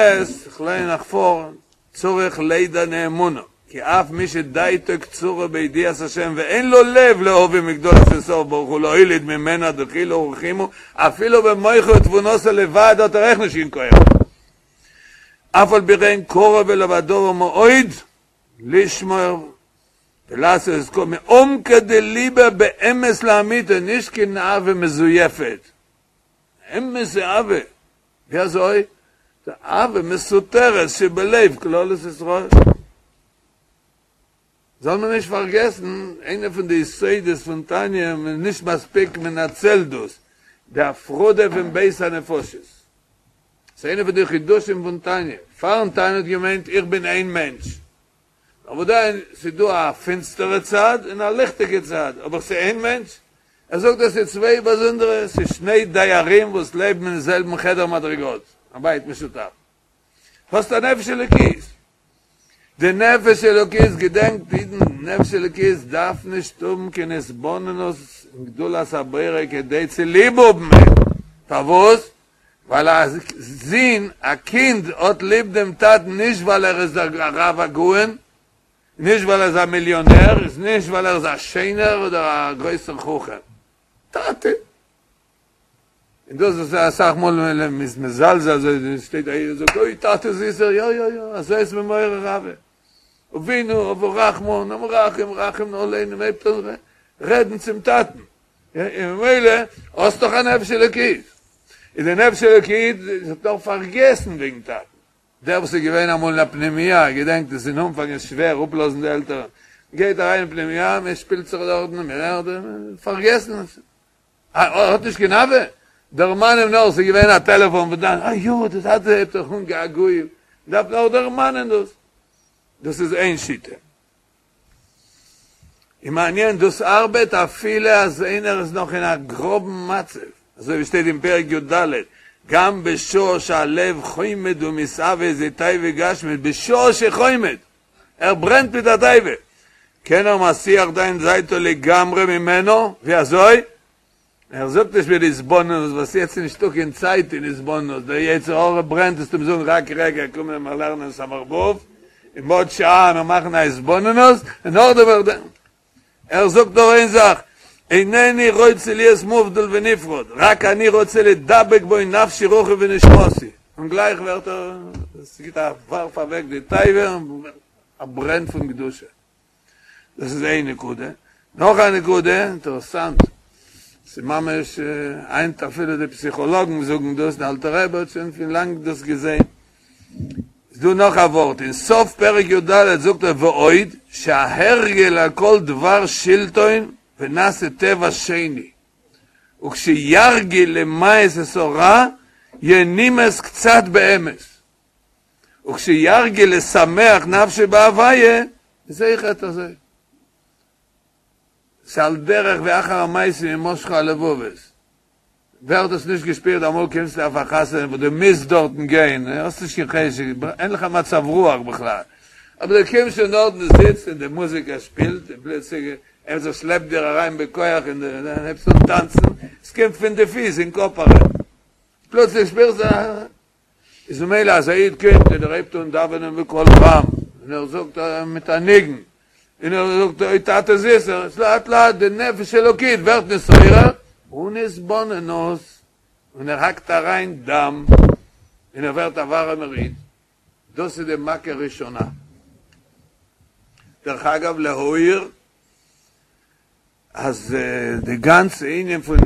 איך ליין נאך פאר, צריך לידע נאמנה. כי אף מי שדעתו קצרה בידיעת השם ואין לו לב להבין מגדולת אין סוף ברוך הוא להוליד ממנה דחילו ורחימו אפילו במוחו ותבונתו לבד האט ער אויך נישט קיין כח אף על פי כן קרוב אליו הדבר מאוד לשמור ולעשות את כל מעומקא דליבא באמת לאמיתו נישט קיין אהבה מזויפת אמת'ע אהבה ווי אזוי? די אהבה מסותרת שבלב כללות ישראל. זאל מען נישט פארגעסן, איינע פון די יסודות פון תניא, מען איז נישט מספיק מנצל דאס, די הפרדה פון ב' הנפשות. ס'איז איינע פון די חידושים פון תניא. פארן תניא האט געמיינט איך בין איין מענטש. אוודאי ס'איז דא א פינסטערע צד און א ליכטיגע צד, אבער ס'איז איין מענטש. ער זאגט אז ס'איז צוויי באזונדערע, ס'איז שני דיירים וואס לעבן אין זעלבן חדר מדרגות, א בית משותף. האסט א נפש אלוקית. די נפש אלוקית, געדענקט אידן, נפש אלוקית דארף נישט האבן קיין התבוננות אין גדולת הבורא כדי צו ליב האבן אים. פארוואס? ווייל א זון, א קינד, האט ליב דעם טאטן נישט ווייל ער איז דער רב הגאון, נישט ווייל ער איז א מיליאנער, איז נישט ווייל ער איז א שענער אדער א גרויסער חכם. טאטע! און דאס וואס אסאך מאל מען איז מזלזל אזוי שטייט א איד און זאגט אוי טאטע זיסער, יא יא יא, אזוי איז מען מעורר אהבה. אבינו אב הרחמן המרחם רחם נא עלינו, מען הייבט אן רעדן צום טאטן. און ממילא האסט דאך א נפש אלוקית, איז די נפש אלוקית האט נאך פארגעסן וועגן טאטן, דער וואס איז געווען אמאל אין א פנימייה געדענקט עס אין אנפאנג איז שווער אפלאזן די עלטערן, מען גייט אריין אין פנימייה מען שפילט זיך דארטן מען לערנט, פארגעסן, האט נישט קיין אהבה, דערמאן אים נאר ס'איז געווען א טעלעפאן פון דיין, אה יא די טאטע הייבט זיך אן געגועים, מען דארף נאר דערמאנען דאס, דאס איז איין שיטה. און מעניין, דאס ארבעט אפילו אז איינער איז נאך אין א גראבן מצב, אזוי ווי שטייט אין פרק י ד, גם בשעה שהלב חומד ומתאוה איזה תאווה גשמית, בשעה שחומד, ער ברענט מיט א תאווה, קען ער מסיח זיין דעתו לגמרי ממנו, ווי אזוי? ער זאגט נישט מיט התבוננות, וואס יעצט איז נישטא קיין צייט אין התבוננות, דער יצר הרע ברענט וועסטו אים זאגן רק רגע קום מיר לערנען סמך ו', און בעוד שעה מיר מאכן א התבוננות, און נאכדעם וועל איך ער זאגט נאר איין זאך, אינני רוצה להיות מובדל ונפרד, רק אני רוצה לדבק בו נפשי רוחי ונשמתי, און גלייך ווערט ער, עס גיט א ווארף אוועק די תאווה און א ברען פון קדושה. דאס איז איין נקודה. נאך א נקודה, אינטערעסאנט, ס'איז ממש היינט אפילו די פסיכאלאגן זאגן דאס, די אלטע רבי האט שוין פון לאנג דאס געזען. איז דא נאך א ווארט, אין סוף פרק י ד זאגט ער ועוד, שההרגל על כל דבר שלטון ונעשה טבע שני, וכשירגיל למאס את הרע, יהיה נמאס קצת באמת. וכשירגיל לשמח נפשו בהוויה, איז אויכעט אזוי. ס'על דרך ווי אחר המעשים ימשכו הלבבות. ווער האט עס נישט געשפירט אמאל קומסטו אויף א חתונה וואס דו מוזט דארטן גיין, האסט נישט קיין חשק, אין לך מצב רוח בכלל, אבער דו קומסט שוין דארטן דו זיצט און די מוזיקה שפילט און פלוצלינג עמיצער שלעפט דיר אריין בכח און דו הייבסט אן טאנצן, עס קומט פון די פיס אין קאפ אריין, פלוצלינג שפירסטו א. איז ממילא אז א איד קומט און ער הייבט אן דאווענען בקול רם, און ער זאגט מיט א ניגון, און ער זאגט אוי טאטע זיסער, איז לאט לאט די נפש אלוקית ווערט נתעורר, אן התבוננות, און ער האקט אריין דם, און ער ווערט א ווארעמער איד, דאס איז די מכה ראשונה. דרך אגב להעיר אז די גאנצע ענין פון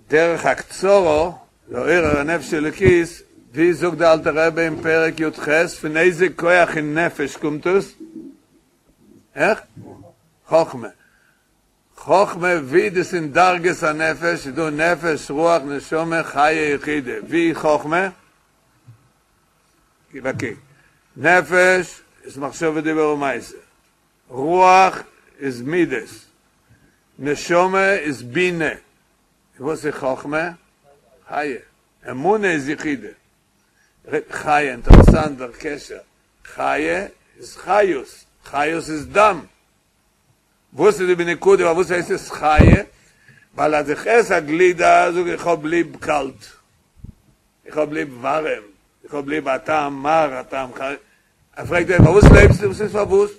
דרך הקצרה לעורר הנפש האלוקית, ווי זאגט די אלטע רבי אין פרק י ח, פון איזה כח אין נפש קומט עס? איך? חכמה. חכמה ווי דאס אין דרגות הנפש איז דא נפש רוח נשמה חיה יחידה, ווי חכמה? גיב א קוק, נפש איז מחשבה דיבור ומעשה, רוח איז מידות, נשמה איז בינה, און וואס איז חכמה? חיה, אמונה איז יחידה, חיה, אינטערעסאנט דער קשר, חיה איז חיות, חיות איז דם, וואס איז די נקודה פארוואס הייסט עס חיה? ווייל אז איך עס א גלידה זאג איך איך האב ליב קאלט, איך האב ליב ווארעם, איך האב ליב א טעם מר א טעם חריף, ער פרעגט אים פארוואס לעבסטו? וואס איז פארוואס?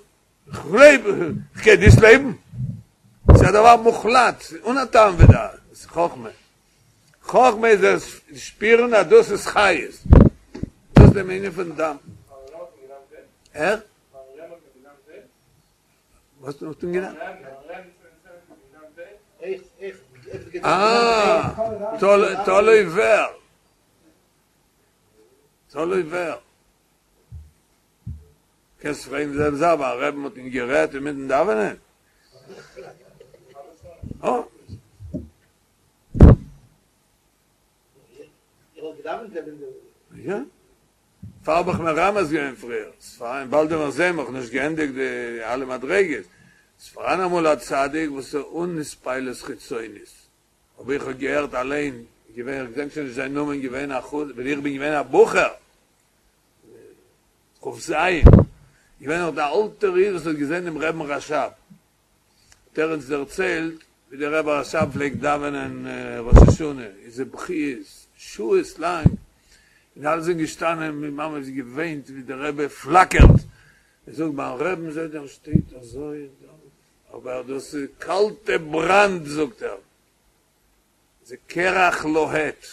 כ'לעב, כ'קען נישט לעבן. ס'איז א דבר מוחלט, אן א טעם ודעת, עס איז חכמה. חכמה איז דאס שפירן אז דאס איז חיות. דאס איז דעם ענין פון דם. ער? וואס האט מען געדארפט? אה, תלוי ווער. תלוי ווער. קענסט פרעגן די זעלבע זאך ביים רבי'ן האט מען גערעדט אינמיטן דאווענען? אה. יא. דערפאר האב איך מרמז געווען פריער, ס'פאראן באלד וועלן מיר זעהן, מ'האט נישט געענדיגט די אלע מדריגות, ס'פאראן אמאל א צדיק וואס איז אן התפעלות חיצונית, אבער איך האב געהערט אליין, געווען, איך געדענק שוין נישט זיין נאמען, געווען א חסיד, ווען איך בין געווען א בחור, כ"ז, געווען נאך דער אלטער איד וואס האט געזען דעם רבי'ן רש"ב, האט ער אונז דערציילט ווי דער רבי רש"ב פלעגט דאווענען ראש השנה, איז בכיות, שעות לאנג, און אלע זענען געשטאנען און ממש געוויינט ווי דער רבי פלאקערט, ער זאגט ביים רבי'ן זעט ער שטייט אזוי און דאווענט, אבער דאס איז קאלטע בראנד זאגט ער, זה קרח לוהט.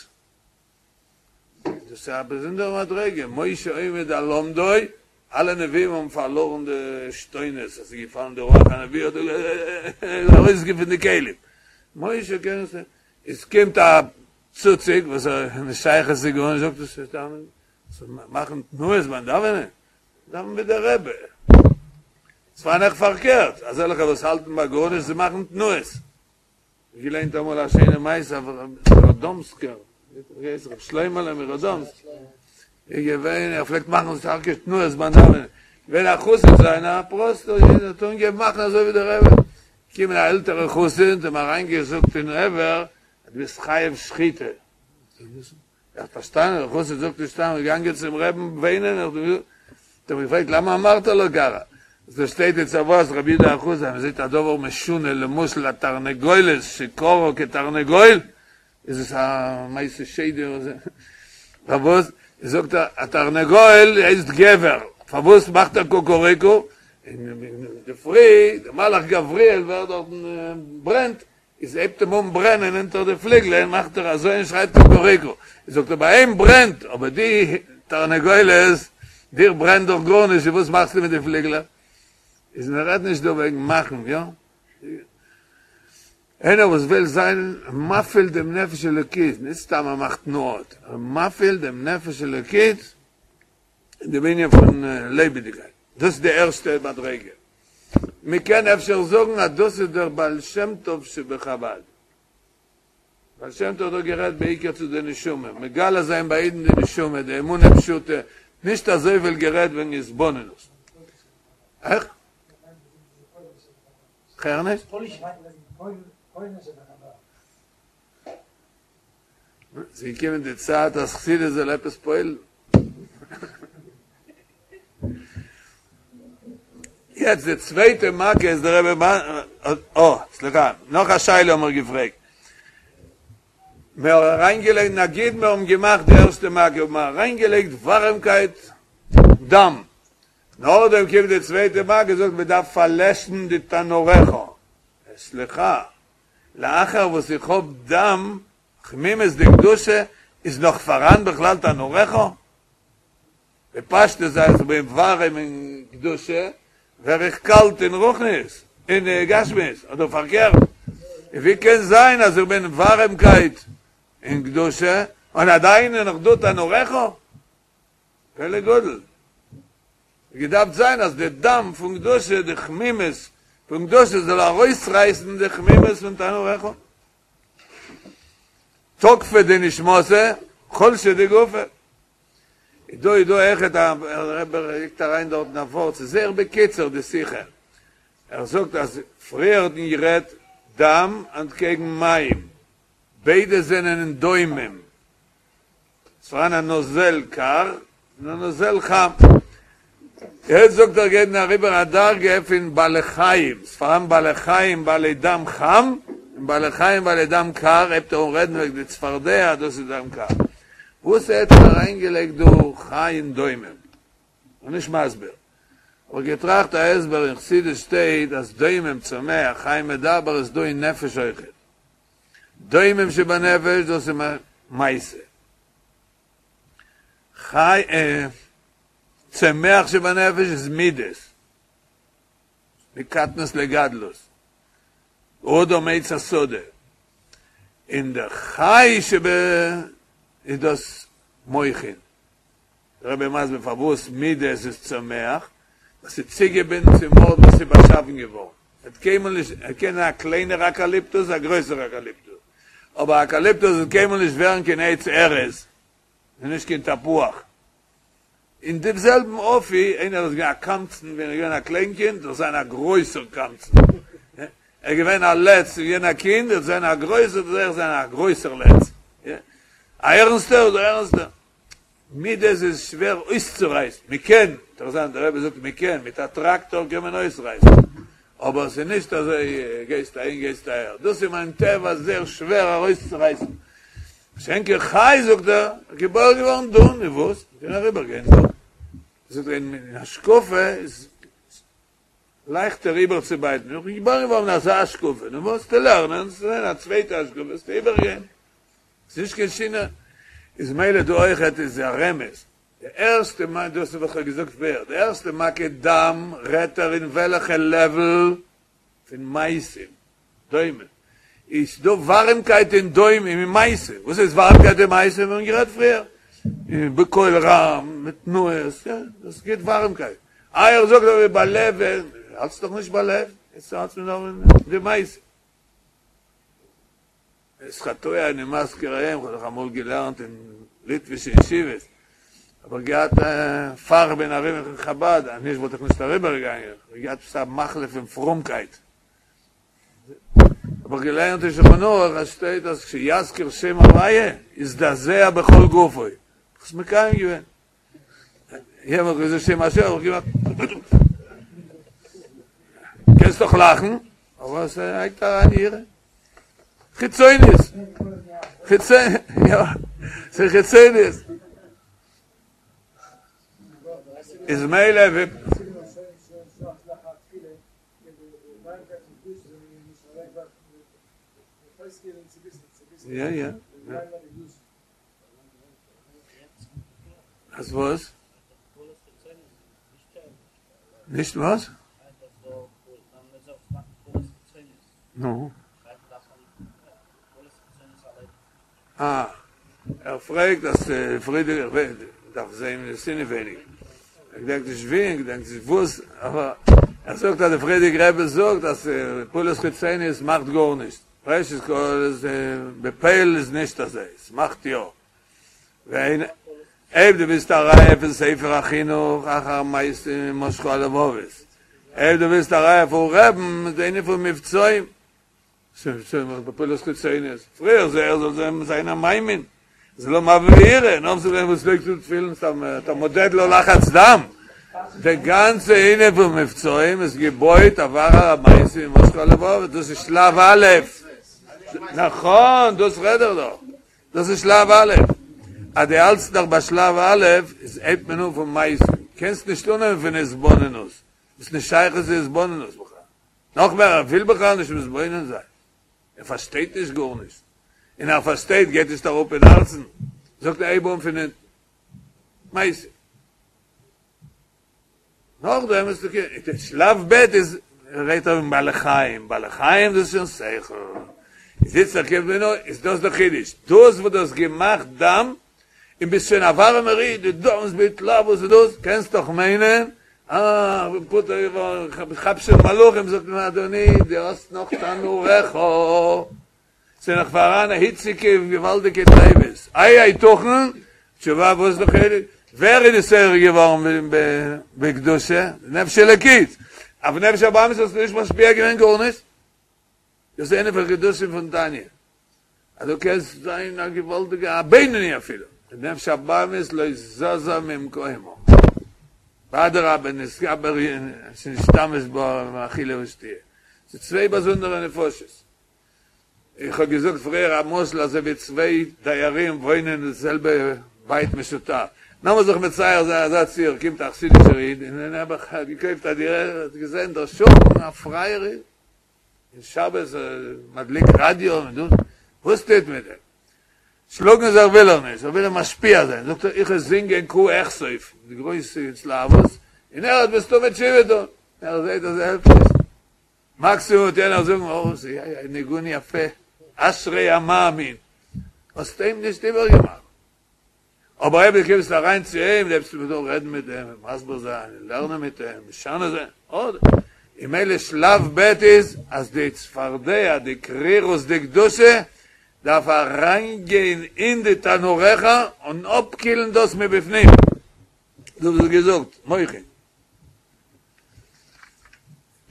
דאס איז א באזונדערע מדריגה, משה עומד על עמדו, אלע נביאים האבן פארלארן די עשתונות, עס איז געפאלן די רוח הנביא האט ארויסגעגעבן פון די כלים, משה קען עס, עס קומט א צוציק וואס איז נישט שייך עס איז גארנישט, זאגט עס איז דאווענען, צו מאכן תנועות ביים דאווענען, דאווען ווי דער רבי, ס'פארהאן אויך פארקערט, אזעלכע וואס האלטן ביי גארנישט זיי מאכן תנועות. געליינט אמאל א שיינע מעשה אויף ראדאמסקער, ווי הייסט ר' שלמה'לע מראדאמסק, איז געווען, ער פלעגט מאכן שטארקע תנועות ביים דאווענען, געווען א חסיד זיינער א פראסטער איד, האט אנגעהויבן מאכן אזוי ווי דער רבי, געקומען א עלטערע חסיד האט אים אריינגעזאגט אין אויער אז דו ביסט חייב שחיטה. ער האט פארשטאנען, דער חסיד זאגט נישט סתם, געגאנגען צום רעבן וויינען, האט אים געפרעגט למה אמרת לו ככה, דא שטייט אין צוואת רבי יהודה החסיד, אז מען זעט א דבר משונה, למשל א תרנגולת שכרעה כתרנגול, איז עס א מעשה שדים, פארוואס זאגט ער א תרנגול הייסט גבר, פארוואס מאכט ער קוקוריקו, אינדערפרי דער מלאך גבריאל ווערט דארטן ברענט, איז הייבט אים אן ברענען אונטער די פליגלען, מאכט ער אזוי און שרייט קוקוריקו, זאגט ער ביי אים ברענט, אבער די תרנגולת, דיר ברענט דאך גארנישט, איז וואס מאכסטו מיט די פליגלעך? איז מען רעדט נישט דא וועגן מאכן, יא? איינער וואס וויל זיין מפעיל דעם נפש אלוקית, נישט סתם ער מאכט תנועות, ער מפעיל דעם נפש אלוקית אין דעם ענין פון לעבעדיגקייט, דאס איז די ערשטע מדריגה. מען קען אפשר זאגן אז דאס איז דער בעל שם טוב שבחבד. בעל שם טוב האט דא גערעדט בעיקר צו די נשמה, מגלה זיין ביי אידן די נשמה, די אמונה פשוטה, נישט אזויפיל גערעדט וועגן התבוננות. איך? כ'הער נישט. ס'איז געקומען די צייט אז חסידות זאל עפעס פועל'ן. יעצט די צווייטע מכה איז דער רבי אה, סליחה, נאך א שאלה האבן מיר געפרעגט. מיר האבן אריינגעלייגט, נגיד מיר האבן געמאכט די ערשטע מכה, האבן מיר אריינגעלייגט ווארעמקייט, דם. נאכדעם קומט די צווייטע מכה, זאגט מען דארף פארלעשן די תנוריך. סליחה, לאחר וואס איך האב דם חמימות דקדושה איז נאך פאראן בכלל תנוריך? בפשטות אז איך בין ווארעם אין קדושה ווער איך קאלט אין רוחניות, אין גשמיות, אדער פארקערט, ווי קען זיין אז איך בין ווארעמקייט אין קדושה און עדיין איז נאך דא תנוריך? פלא גדול. געדארפט זיין אז די דם פון קדושה, די חמימות פון קדושה זאל ארויסרייסן די חמימות פון תנוריך. תוקפא דנשמתא, חולשא דגופא. איז דא איז דא אויכעט א רבי לייגט אריין דארטן א ווארט, ס'איז זייער בקיצור די שיחה. ער זאגט אז פריער האט מען גערעדט דם אנטקעגן מים, ביידע זענען אין דומם. ס'פאראן א נוזל קר און א נוזל חם. יעצט זאגט ער גייט מען אריבער א דרגה פון בעלי חיים, ס'פאראן בעלי חיים בעלי דם חם און בעלי חיים בעלי דם קר, הייבט ער אן רעדן וועגן די צפרדע אז דאס איז דם קר. וואס האט ער אריינגעלייגט דא חי און דומם? כ'בין נישט מסביר. האב איך געטראכט א הסבר אין חסידות שטייט אז דומם צומח חי מדבר איז דא אין נפש אויכעט. דומם שבנפש דאס איז מעשה. חי צומח שבנפש איז מידות. מקטנות לגדלות. אדם עץ השדה. און דער חי שב איז דאס מוחין. דער רבי מסביר פארוואס מידות איז צומח, ווייל ס'איז צוגעבינדן צום ארט וואס ס'איז באשאפן געווארן. ער האט קיינמאל נישט, ער קען זיין א קליינער אקאליפטוס, א גרויסער אקאליפטוס, אבער אקאליפטוס וועט קיינמאל נישט ווערן קיין עץ ארז, און נישט קיין תפוח. אין דעם זעלבן אופי, איינער איז געווען א קמצן ווען ער איז געווען א קליין קינד, זאל זיין א גרויסער קמצן. ער איז געווען א לץ ווען געווען א קינד, ער זאל זיין א גרויסער, זאל ער זיין א גרויסער לץ. א ערנסטער, זאל ערנסטער. מידות איז שווער אויסצורייסן, מען קען, אינטערעסאנט דער רבי זאגט מען קען, מיט א טראקטאר קען מען אויסרייסן, אבער עס איז נישט אזוי גייסט אהין גייסט אהער, דאס איז מיין טבע זייער שווער ארויסצורייסן, מה שאין כן חי זאגט ער, געבוירן געווארן דא, נו וואס, מען קען אריבער גיין דא, זאגט ער אין השקפה איז לייכטער איבערצובייטן, איך בין געבוירן געווארן אין אזא השקפה, נו וואס, וועסטו לערנען, וועסט זען א צווייטע השקפה, וועסטו איבערגיין. ס'איז נישט קיין שינוי, איז מילא דא אויכעט איז א רמז, די ערשטע מכה, דאס איז וואס כ'האב געזאגט פריער, די ערשטע מכה דם רעדט ער אין וועלעכע לעוועל פון מעשים, דומם, איז דא ווארימקייט אין דומם אין מעשים, וואס איז ווארימקייט אין מעשים, מיר האבן גערעדט פריער, בקול רם, מיט תנועות, יא, דאס גיבט ווארימקייט, איי ער זאגט אבער בלב, האלטסט דאך נישט בלב, יעצט האלטסט מיר נאר אין די מעשים. את חטאי אני מזכיר היום, כ'האב דאך אמאל געלערנט אין ליטווישע ישיבות, האב איך געהאט פאר כ'בין אריבער אין חבד, אז נישט וואלט איך נישט אריבער געגאנגען, כ'האב געהאט עפעס א מחלה פון פרומקייט, האב איך געלערנט אין שולחן ערוך אז שטייט אז כשיזכיר שם הוויה יזדעזע בכל גופו, האב איך עס מקיים געווען. יענער האט געזאגט שם השם, האב איך געמאכט קענסט דאך לאכן, אבער עס לייגט אריין יראה. חיצוניות. חיצוניות, יא, ס'איז חיצוניות. איז מילא ווי יא יא. אז וואס? נישט וואס? נו? אה, ער פרעגט אז פריערדיגע דארף זעהן עס אינעווייניג. ער געדענקט נישט ווי און געדענקט נישט וואס, אבער ער זאגט אז די פריערדיגע רבי זאגט אז פעולות חיצוניות מאכט גארנישט. ראשית כל איז בפועל איז נישט אזוי, עס מאכט יא. ווען אויב דו ווילסט א ראיה פון ספר החינוך אחר המעשים ימשכו הלבבות, אויב דו ווילסט א ראיה פון רבי'ן איז די ענין פון מבצעים, בפעולות חיצוניות, פריער זאל ער זאל זיין א מאמין, זה לא מביא יראה, נאך זאל וואס לייגסט דו תפילין סתם אתה מודד לו לחץ דם, די גאנצע ענין פון מבצעים איז געבויט אויף אחר המעשים ימשכו הלבבות, דאס איז שלב א', נכון דאס רעד איך דאך, דאס איז שלב א', אז דו האלטסט נאך ביי שלב א', איז הייבט מען אן פון מעשים, קענסט נישט אנהויבן פון התבוננות, ביסט נישט שייך צו התבוננות בכלל, נאך מער ער וויל בכלל נישט מתבונן זיין, ער פארשטייט נישט גארנישט, און ער פארשטייט גייט נישט אראפ אין הארצן, זאגט ער הייב אן פון אונטן, מעשים. נאכדעם איז אקעי, שלב ב' איז רעדט ער פון בעלי חיים, בעלי חיים דאס איז שוין שכל, איז איצטער קומט מען אן, איז דאס דער חידוש, דאס וואס דו האסט געמאכט דם, און ביסט שוין א ווארעמער איד, דו דאווענסט בהתלהבות און דאס, קענסט דאך מיינען, אה, איך בין פטור געווארן, איך כאפ שוין מלאכים, זאגט מען, אדוני, דו האסט נאך תנוריך. ס'איז נאך פאראן היציגע און געוואלדיגע תאוות. איי היתכן? תשובה וואס איז די חילוק? ווער איז נתעורר געווארן בקדושה? נפש אלוקית! אויף נפש הבהמית האסטו נישט משפיע געווען גארנישט? דאס איז איינע פון חידושים פון תניא, אז דו קענסט זיין א געוואלדיגע א בינוני אפילו, די נפש הבהמית לא זזה ממקומה, ואדרבה נתגבר שנשתמש בה באכילה ושתיה, ס'איז צוויי באזונדערע נפשות. איך האב געזאגט פריער א משל אזוי ווי צוויי דיירים וואוינען אין די זעלבע בית משותף, לאמיר זיך מצייר זיין אזא ציור, קומט א חסידישער איד און נעבעך האט געקויפט א דירה, האט געזען דער שכן א פרייער איד, און שבת מדליק רדיו און דאס, וואס טוט מיט דעם? שלאגן זיך וויל ער נישט, ער וויל אים משפיע זיין, זאגט ער איך וועל זינגען קה אכסוף, די גרויסע התלהבות, און ער וועט מסתמא תשובה טון, ער זעט אז עס העלפט נישט, מקסימום וועט יענער זאגן אוי ס'איז א ניגון יפה, אשרי המאמין, האסט אים נישט איבערגעמאכט. אבער אויב דו קומסט אריין צו אים, הייבסט אן רעדן מיט אים, מסביר זיין, לערנען מיט אים, משנה זיין, אדער און ממילא שלב ב' איז אז די צפרדע, די קרירות דקדושה, דארף אריינגיין אין די תנוריך און אפקילן דאס מבפנים. דו האסט געזאגט, מוחין.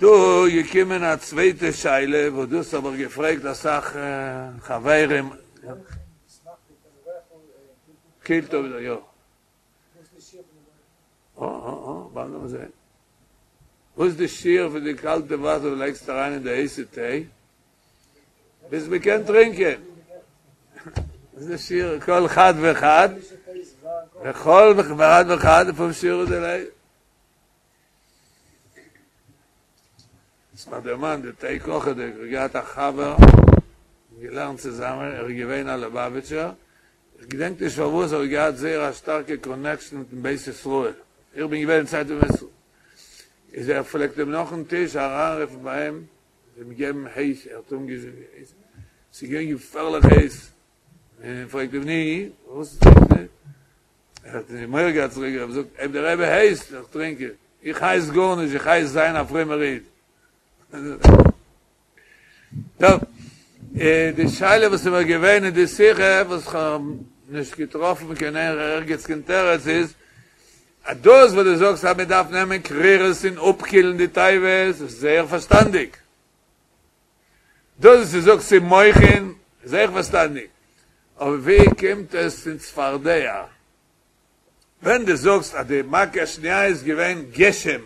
דא איז געקומען א צווייטע שאלה וואס דאס האב איך געפרעגט אסאך חברים. קילט אפ די יא. אה אה אה, באלד וועלן מיר זען. וואס איז די שיעור פון די קאלטע וואסער וואס לייגסט אריין אין די הייסע טיי ביז מען קען טרינקען? וואס איז די שיעור כל חד וחד? וכל אחד ואחד לפום שיעורא דיליה. ס'האט מיר דערמאנט די טיי קאכעדיג, איך האב געהאט א חבר, געלערנט צוזאמען, ער איז געווען א ליובאוויטשער, איך געדענק נישט פארוואס ער האט געהאט זייער א שטארקע קאנעקשאן מיטן בית ישראל, איך בין געווען אין צייט פון בית ישראל, איז ער פלעגט אים נאכן טיש אריינרופן ביי אים, אים געבן הייס, ער האט אנגעזינגען הייס, ס'איז געווען געפערליך הייס, און פרעגט אים ני, וואס טרינקסטו? ער האט מורא געהאט צוריק, ער האט געזאגט, אויב דער רבי הייסט, וועל איך טרינקען, איך הייס גארנישט, איך הייס זיין א פרומער איד. טוב, די שאלה וואס איז מיר געווען אין די שיחה, וואס כ'האב נישט געטראפן קיין ערגעץ קיין תירוץ איז, אז דאס וואס דו זאגסט אז מען דארף נעמען קרירות און אפקילן די תאוות, איז זייער פארשטאנדיג. דאס וואס דו זאגסט ס'איז מוחין, איז אויך פארשטאנדיג. אבער ווי קומט עס אין צפרדע? ווען דו זאגסט אז די מכה השנייה איז געווען גשם,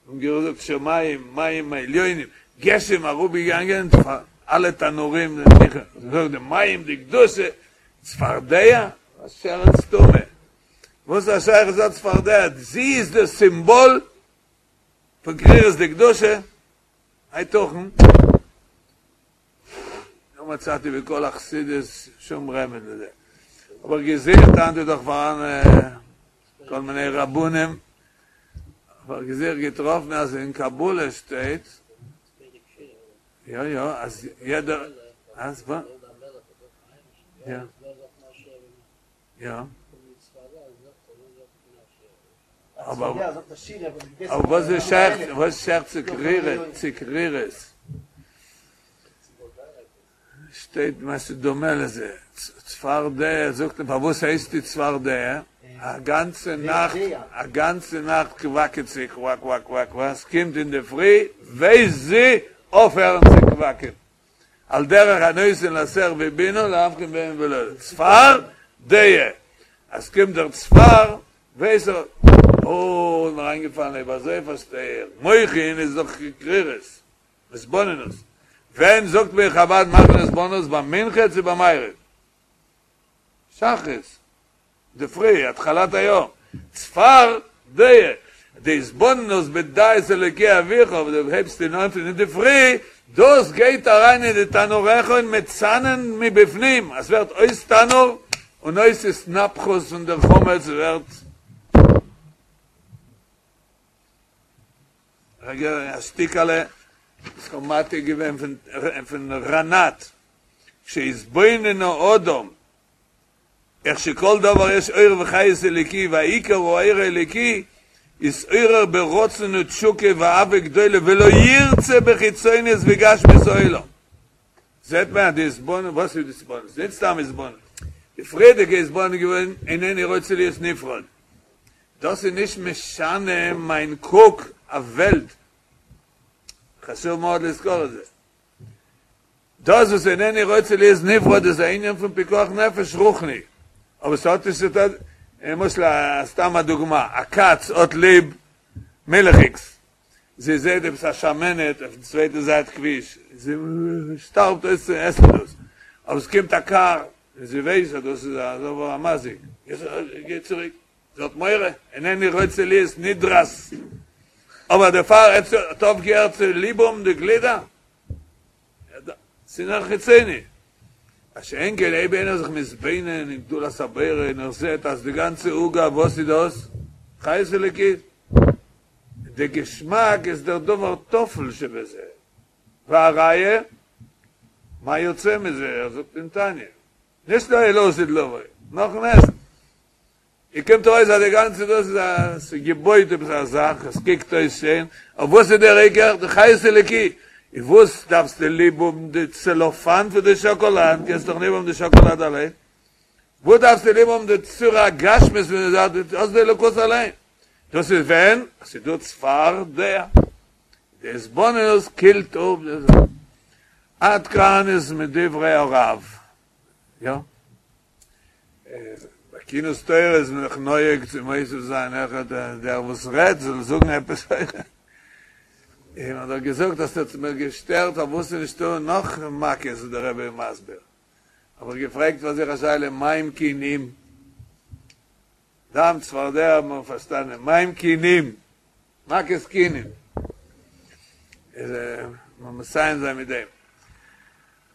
און געזאגט שמים מים העליונים, גשם אראפגעגאנגען פאר אלע תנורים, זאגט די מים דקדושה, צפרדע? א שרץ טמא. וואס איז א שייכות א צפרדע? זי איז די סימבאל פון קרירות דקדושה? היתכן? לא מצאתי בכל החסידות שום רמז לזה. אבער געזוכט היינט איז דאך פאראן כל מיני רבנים, אבער געזוכט געטראפן אז אין קבלה שטייט, יא יא, אז יעדער, אז וואס? יא. יא. אבער וואס איז שייך, וואס איז שייך צו קרירות, צו קרירות? שטייט משהו דומה לזה, צפרדע, זאגט מען פארוואס הייסט די צפרדע? א גאנצע נאכט, א גאנצע נאכט קוואקעט זי קוואק קוואק קוואק קוואק, ס'קומט אינדערפרי ווייסט זי אויפהערן צו קוואקען. על דרך הנותן לשה בינה להבחין בין יום ולילה, צפר דעה, אז קומט דער צפר ווייס ער, אוי איז מיר איינגעפאלן אויב אזוי פארשטיי איך, מוחין איז דאך קרירות, התבוננות, ווען זאגט מען חבד מאכט מען התבוננות ביי מנחה צו ביי מעריב? שחרית. אינדערפרי, התחלת היום, צפר דעה, די התבוננות בדע את אלוקי אביך, וואס דו הייבסט אן פון אינדערפרי, דאס גייט אריין אין די תנוריך און מצנן מבפנים, עס ווערט אויס תנור און אויס התנפחות פון דער חמץ ווערט. רגע, א שטיקעלע וואס כ'האב מעתיק געווען פון רנת, כשיתבונן האדם איך שכל דבר יש אור וחיות אלוקי והעיקר הוא האור האלוקי, יתעורר ברצון ותשוקה ואהבה גדולה ולא ירצה בחיצוניות וגשמיות העולם. זעט מען אז די התבוננות, וואס איז די התבוננות? נישט סתם התבוננות. די פריערדיגע התבוננות איז געווען אינני רוצה להיות נפרד. דאס איז נישט משנה מיין קוק אויף וועלט. חשוב מאוד לזכור את זה. דאס וואס אינני רוצה להיות נפרד איז א ענין פון פיקוח נפש רוחני, אבער ס'האט נישט צו טון, למשל סתם א דוגמא, א קאץ האט ליב מילכיגס, זי זעט עפעס א שמנת אויפן צווייטע זייט כביש, זי שטארבט אויס צו עסן דאס, אבער ס'קומט א קאר און זי ווייסט אז דאס איז א דבר המזיק, גיי צוריק. זי האט מורא, אינני רוצה להיות נדרת, אבער דערפאר האט אויפגעהערט צו ליב האבן די גלידה, ס'איז נאר חיצוני. מה שאין כן אויב איינער זיך מתבונן אין גדולת הבורא און ער זעט אז די גאנצע עוגה וואס איז דאס? חיות אלוקית. די געשמאק איז דער דבר טפל שבזה. והראיה, מה יוצא מזה, ער זאגט אין תניא, נישט נאר לעתיד לבוא, נאכן עסן. איר קומט ארויס אז די גאנצע דאס איז א ס'איז געבויט עפעס א זאך, עס קוקט אויס שיין, אבער וואס איז דער עיקר? די חיות אלוקי! און וואס דארפסטו ליב האבן די צעלאפאן פון די שאקאלאד, קענסט דאך ליב האבן די שאקאלאד אליין, וואס דארפסטו ליב האבן די צורה הגשמית פון די זאך, דו האסט די אלוקות אליין, דאס איז ווען עס איז דא צפרדע, די התבוננות קילט אפ די זאך. עד כאן איז מדברי הרב. יא. ביי כינוס תורה איז מען זיך נוהג צו מוסיף זיין אויכעט דער וואס רעדט זאל זאגן עפעס אויכעט. און מען האט דאך געזאגט אז ס'האט מיר געשטערט פארוואס איז נישטא נאך מכות וואס דער רבי איז מסביר. האב איך געפרעגט פאר זיך א שאלה מה עם כינים? דם צפרדע האט מען פארשטאנען, מה עם כינים? מכת כינים. איז מיר מסיים זיין מיט דעם.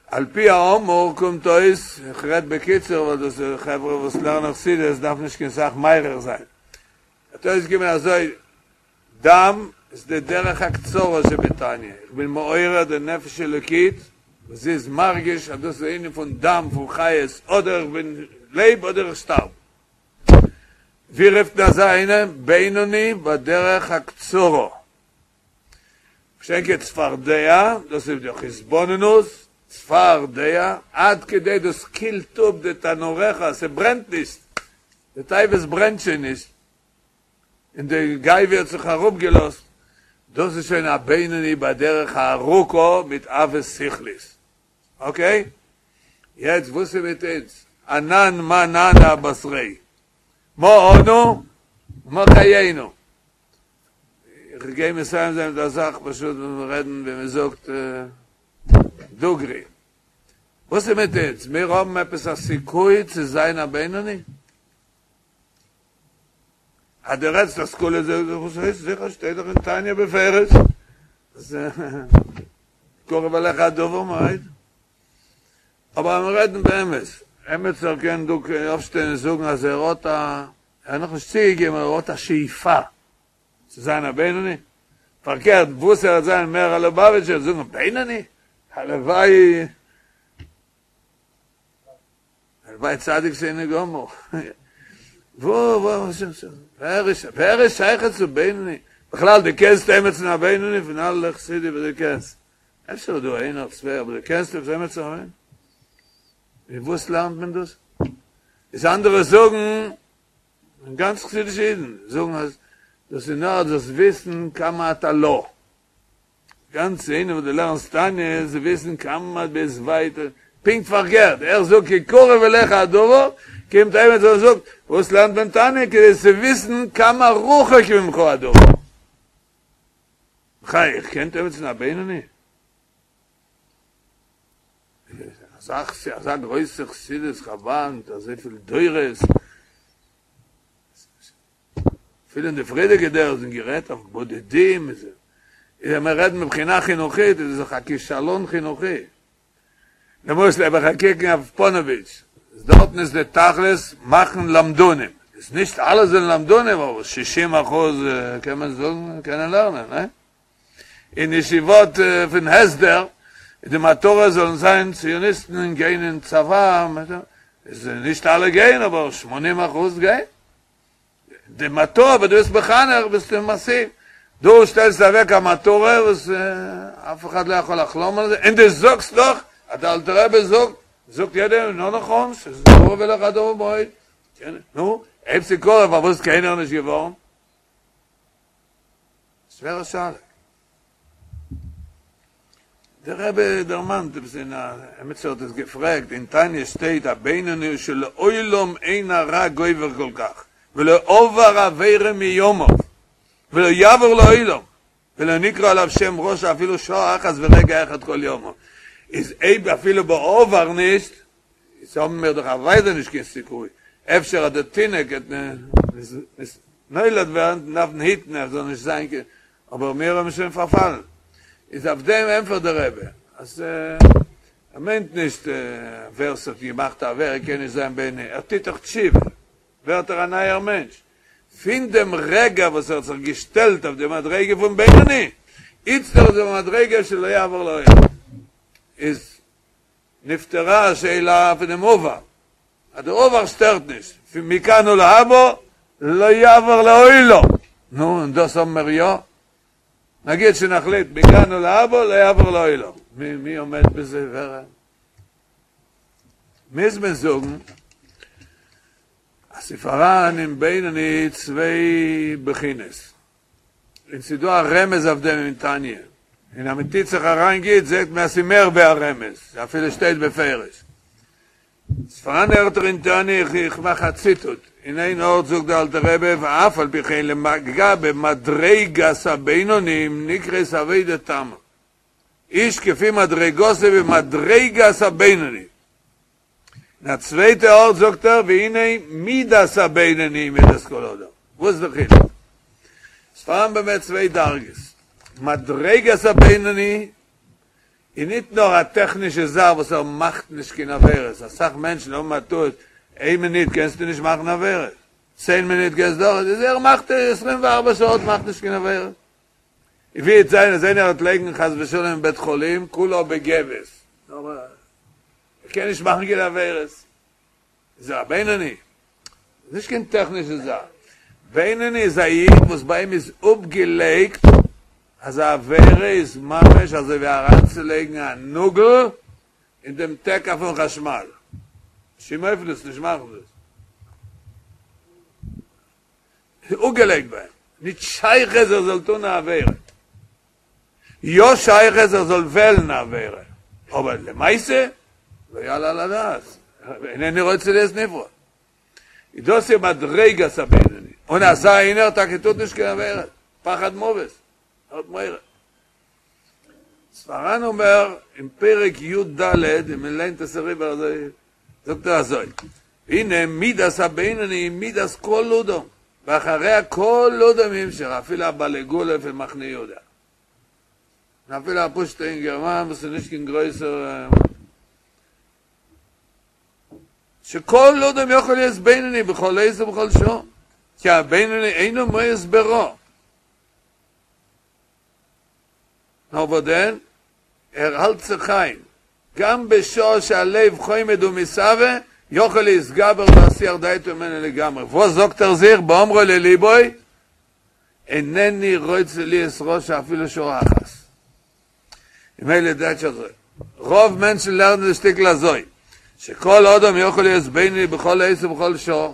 על פי האמור קומט אויס, איך רעד בקיצור ווייל דאס איז חברה וואס לערנען חסידות דארף נישט קיין סך מאריך זיין. האט אויסגעקומען אזוי, דם איז די דרך הקצרה שבתניא, איך בין מעורר די נפש אלוקית וואס זי איז מרגיש אז דאס איז ענין פון דם פון חיות אדער איך בין לעב אדער איך שטארב. ווי רופט מען אזא איינעם? בינוני בדרך הקצרה. מה שאין כן צפרדע, דאס איז דורך התבוננות, צפרדע, עד כדי דאס קילט אפ די תנוריך, ס'ברענט נישט, די תאוות ברענט שוין נישט, און די גאווה האט זיך אראפגעלאזט, דאס איז שוין א בינוני בדרך הארוכה מיט עבות שכלית. אקעי? יעצט וואס איז מיט אונז? אנן מה נענה אבתריה? מה אנו? מה חיינו? איך גיי מסיים זיין מיט א זאך פשוט ווען מיר רעדן ווי מען זאגט דוגרי. וואס איז מיט אונז? מיר האבן עפעס א סיכוי צו זיין א בינוני? אז דו רעדסט השכלה זאג איך וואס הייסט זיכער שטייט דאך אין תניא בפירוש אז קרוב אליך הדבר מאוד. אבער אז מיר רעדן באמת, עמיצער קען דא אויפשטיין און זאגן אז ער האט א, ער האט נאכנישט צוגעגעבן, ער האט א שאיפה צו זיין א בינוני, פארקערט וואס ער וועט זיין מער א לובאוויטשער וועט זאגן בינוני? הלוואי הלוואי צדיק שאינו גמור. וואו וואו ווער איז ווער איז שייך צו בינוני? בכלל דו קענסט עמיצן א בינוני פון אלע חסידים וואס דו קענסט? אפשר איז דא איינער צוויי אבער דו קענסט עפעס עמיצן א בינוני? ווי וואס לערנט מען דאס? איז אנדערע זאגן, און גאנץ חסידישע אידן זאגן אז דאס איז נאר דאס וויסן כמה אתה לא. גאנץ ענין וואס דו לערנסט תניא איז צו וויסן כמה ביסט ווייט, פונקט פארקערט, ער זאגט כי קרוב אליך הדבר, קומט עמיצער און זאגט, וואס לערנט מען תניא כדי צו וויסן כמה רחוק ממך הדבר. בחייך, קענט עמיצן א בינוני? אזא אזא גרויסע חסידות חבד מיט אזויפיל דורות, אפילו אין די פריערדיגע דורות האט מען גערעדט אויף בודדים, איז ווען מיר רעדן מבחינה חינוכית איז עס דאך א כישלון חינוכי. למשל אויב איך קוק אויף פאנאוויטש, איז דארטן איז די תכלית מאכן למדנים, איז נישט אלע זענען למדנים אבער שישים אחוז קען מען זאגן קענען לערנען, ניין? אין ישיבות פון הסדר איז די מטרה זאלן זיין ציוניסטן און גיין אין צבא, איז נישט אלע גייען אבער 80% גייען. די מטרה וואס דו ביסט מחנך ביסטו משיג, דו שטעלסט אוועק א מטרה וואס אף אחד לא יכול לחלום על זה, און דו זאגסט דאך אז דער אלטער רבי זאגט, זאגט יעדער נו נכון, ס'איז קרוב אליך הדבר מאוד, נו, אויב ס'איז קרוב פארוואס איז קיינער נישט געווארן? שווערע שאלה. דער רבי דערמאנט עפעס אין א, עמיצער האט עס געפרעגט, אין תניא שטייט א בינוני שלעולם אין הרע גובר כל כך, ולא עבר עבירה מימיו, ולא יעבור לעולם, ולא נקרא עליו שם רשע אפילו שעה אחת ורגע אחד כל ימיו. איז אויב אפילו בעבר נישט, איז האבן מיר דאך אוודאי נישט קיין סיכוי, אפשר אז דער תינוק וועט. נולד ווערן דארף מען היטן ער זאל נישט זיין קיין, אבער מיר האבן שוין פארפאלן, איז אויף דעם ענפערט דער רבי אז ער מיינט נישט ווער ס'האט געמאכט א עבירה קען נישט זיין בינוני, ער טוט דאך תשובה ווערט ער א נייער מענטש, פון דעם רגע וואס ער האט זיך געשטעלט אויף די מדריגה פון בינוני, איצטער איז ער במדריגה שלא יעבור לעולם, איז נפתרה השאלה פונעם עבר, אז דער עבר שטערט נישט, פון מכאן ולהבא לא יעבור לעולם, נו און דאס האבן מיר יא? נגיד שנחליט מכאן ולהבא לא יעבור לעולם, מי מי עומד בזה ווער? מוז מען זאגן אז ס'פאראן אין בינוני צוויי בחינות, און ס'איז דא א רמז אויף דעם אין תניא, און אז מ'טוט זיך אריין גוט זעט מען אז ס'איז מער ווי א רמז, אפילו שטייט בפירוש. ס'פאראן ערטער אין תניא, איך מאך א ציטוט, אין איין ארט זאגט דער אלטער רבי ואף על פי כן לגבי מדריגת הבינונים נקראת עבודה תמה, איש כפי מדרגתו במדריגת הבינוני. אין א צווייטע ארט זאגט ער והנה מידת הבינוני מידת כל אדם. וואס איז די חילוק? ס'פארהאן באמת צוויי דרגות. מדריגת הבינוני איז ניט נאר א טעכנישע זאך וואס ער מאכט נישט קיין עבירות, אסאך מענטשן האבן א טעות, איין מינוט קענסטו נישט מאכן עבירות, צען מינוט קענסטו דאך, איז ער מאכט עשרים וארבע שעות מאכט נישט קיין עבירות. ווי וועט זיין אז איינער וועט ליגן חס ושלום אין בית חולים כולו בגבס, אבער ער קען נישט מאכן קיין עבירות, איז ער א בינוני? נישט קיין טעכנישע זאך, בינוני איז א איד וואס ביי אים איז אפגעלייגט אז א עבירה איז ממש אזוי ווי אריינצולייגן א נאגל אין דעם תקע פון חשמל, בשום אופן דאס נישט מאכן דאס. איז אפגעלייגט ביי אים, נישט שייך אז ער זאל טון א עבירה, יא שייך אז ער זאל וועלן א עבירה, אבער למעשה לא יעלה על הדעת, אינני רוצה להיות נברא. איז דאס איז מדריגת הבינוני, און אזא איינער טאקע טוט נישט קיין עבירה, פחד מוות, ער האט מורא. ס'פאראן אבער אין פרק י ד, און מען ליינט עס אריבער אזוי, זאגט ער אזוי, והנה מידת הבינוני היא מידת כל אדם, ואחריה כל אדם ימשך, אפילו א בעל עגלה פון מחנה יהודה, און אפילו א פשוט'ע אינגערמאן וואס איז נישט קיין גרויסער, שכל אדם יכול להיות בינוני בכל עת ובכל שעה, כי הבינוני אינו מואס ברע. נאר וואס דען, ער האלט זיך איין, גם בשעה שהלב חומד ומתאוה, יכול להתגבר ולהסיח דעתו ממנו לגמרי. וואס זאגט ער זיך באומרו לליבו, אינני רוצה להיות רשע אפילו שעה אחת. ממילא טייטש אזוי, רוב מענטשן לערנען די שטיקל אזוי, שכל אדם יכול להיות בינוני בכל עת ובכל שעה,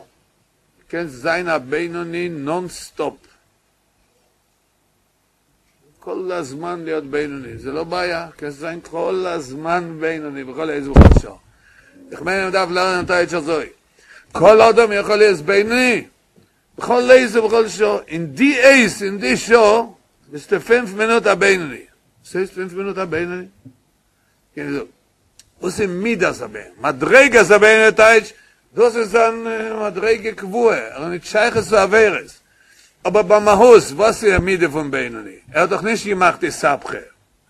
קענסט זיין א בינוני נאן סטאפ. כל הזמן להיות בינוני, זה לא בעיה, קענסט זיין כל הזמן בינוני בכל עת ובכל שעה. איך מיין מען דארף לערנען טייטש אזוי, כל אדם יכול להיות בינוני בכל עת ובכל שעה, אין די עת אין די שעה ביסטו פינף מינוט א בינוני. וואס הייסט פינף מינוט א בינוני? קען איך זאגן, וואס איז מידת הבינוני? מדריגת הבינוני טייטש, דאס איז זיין מדריגה קבועה, ער האט נישט שייכות צו עבירות. אבער במהות, וואס איז א מידה פון בינוני? ער האט דאך נישט געמאכט אתהפכא,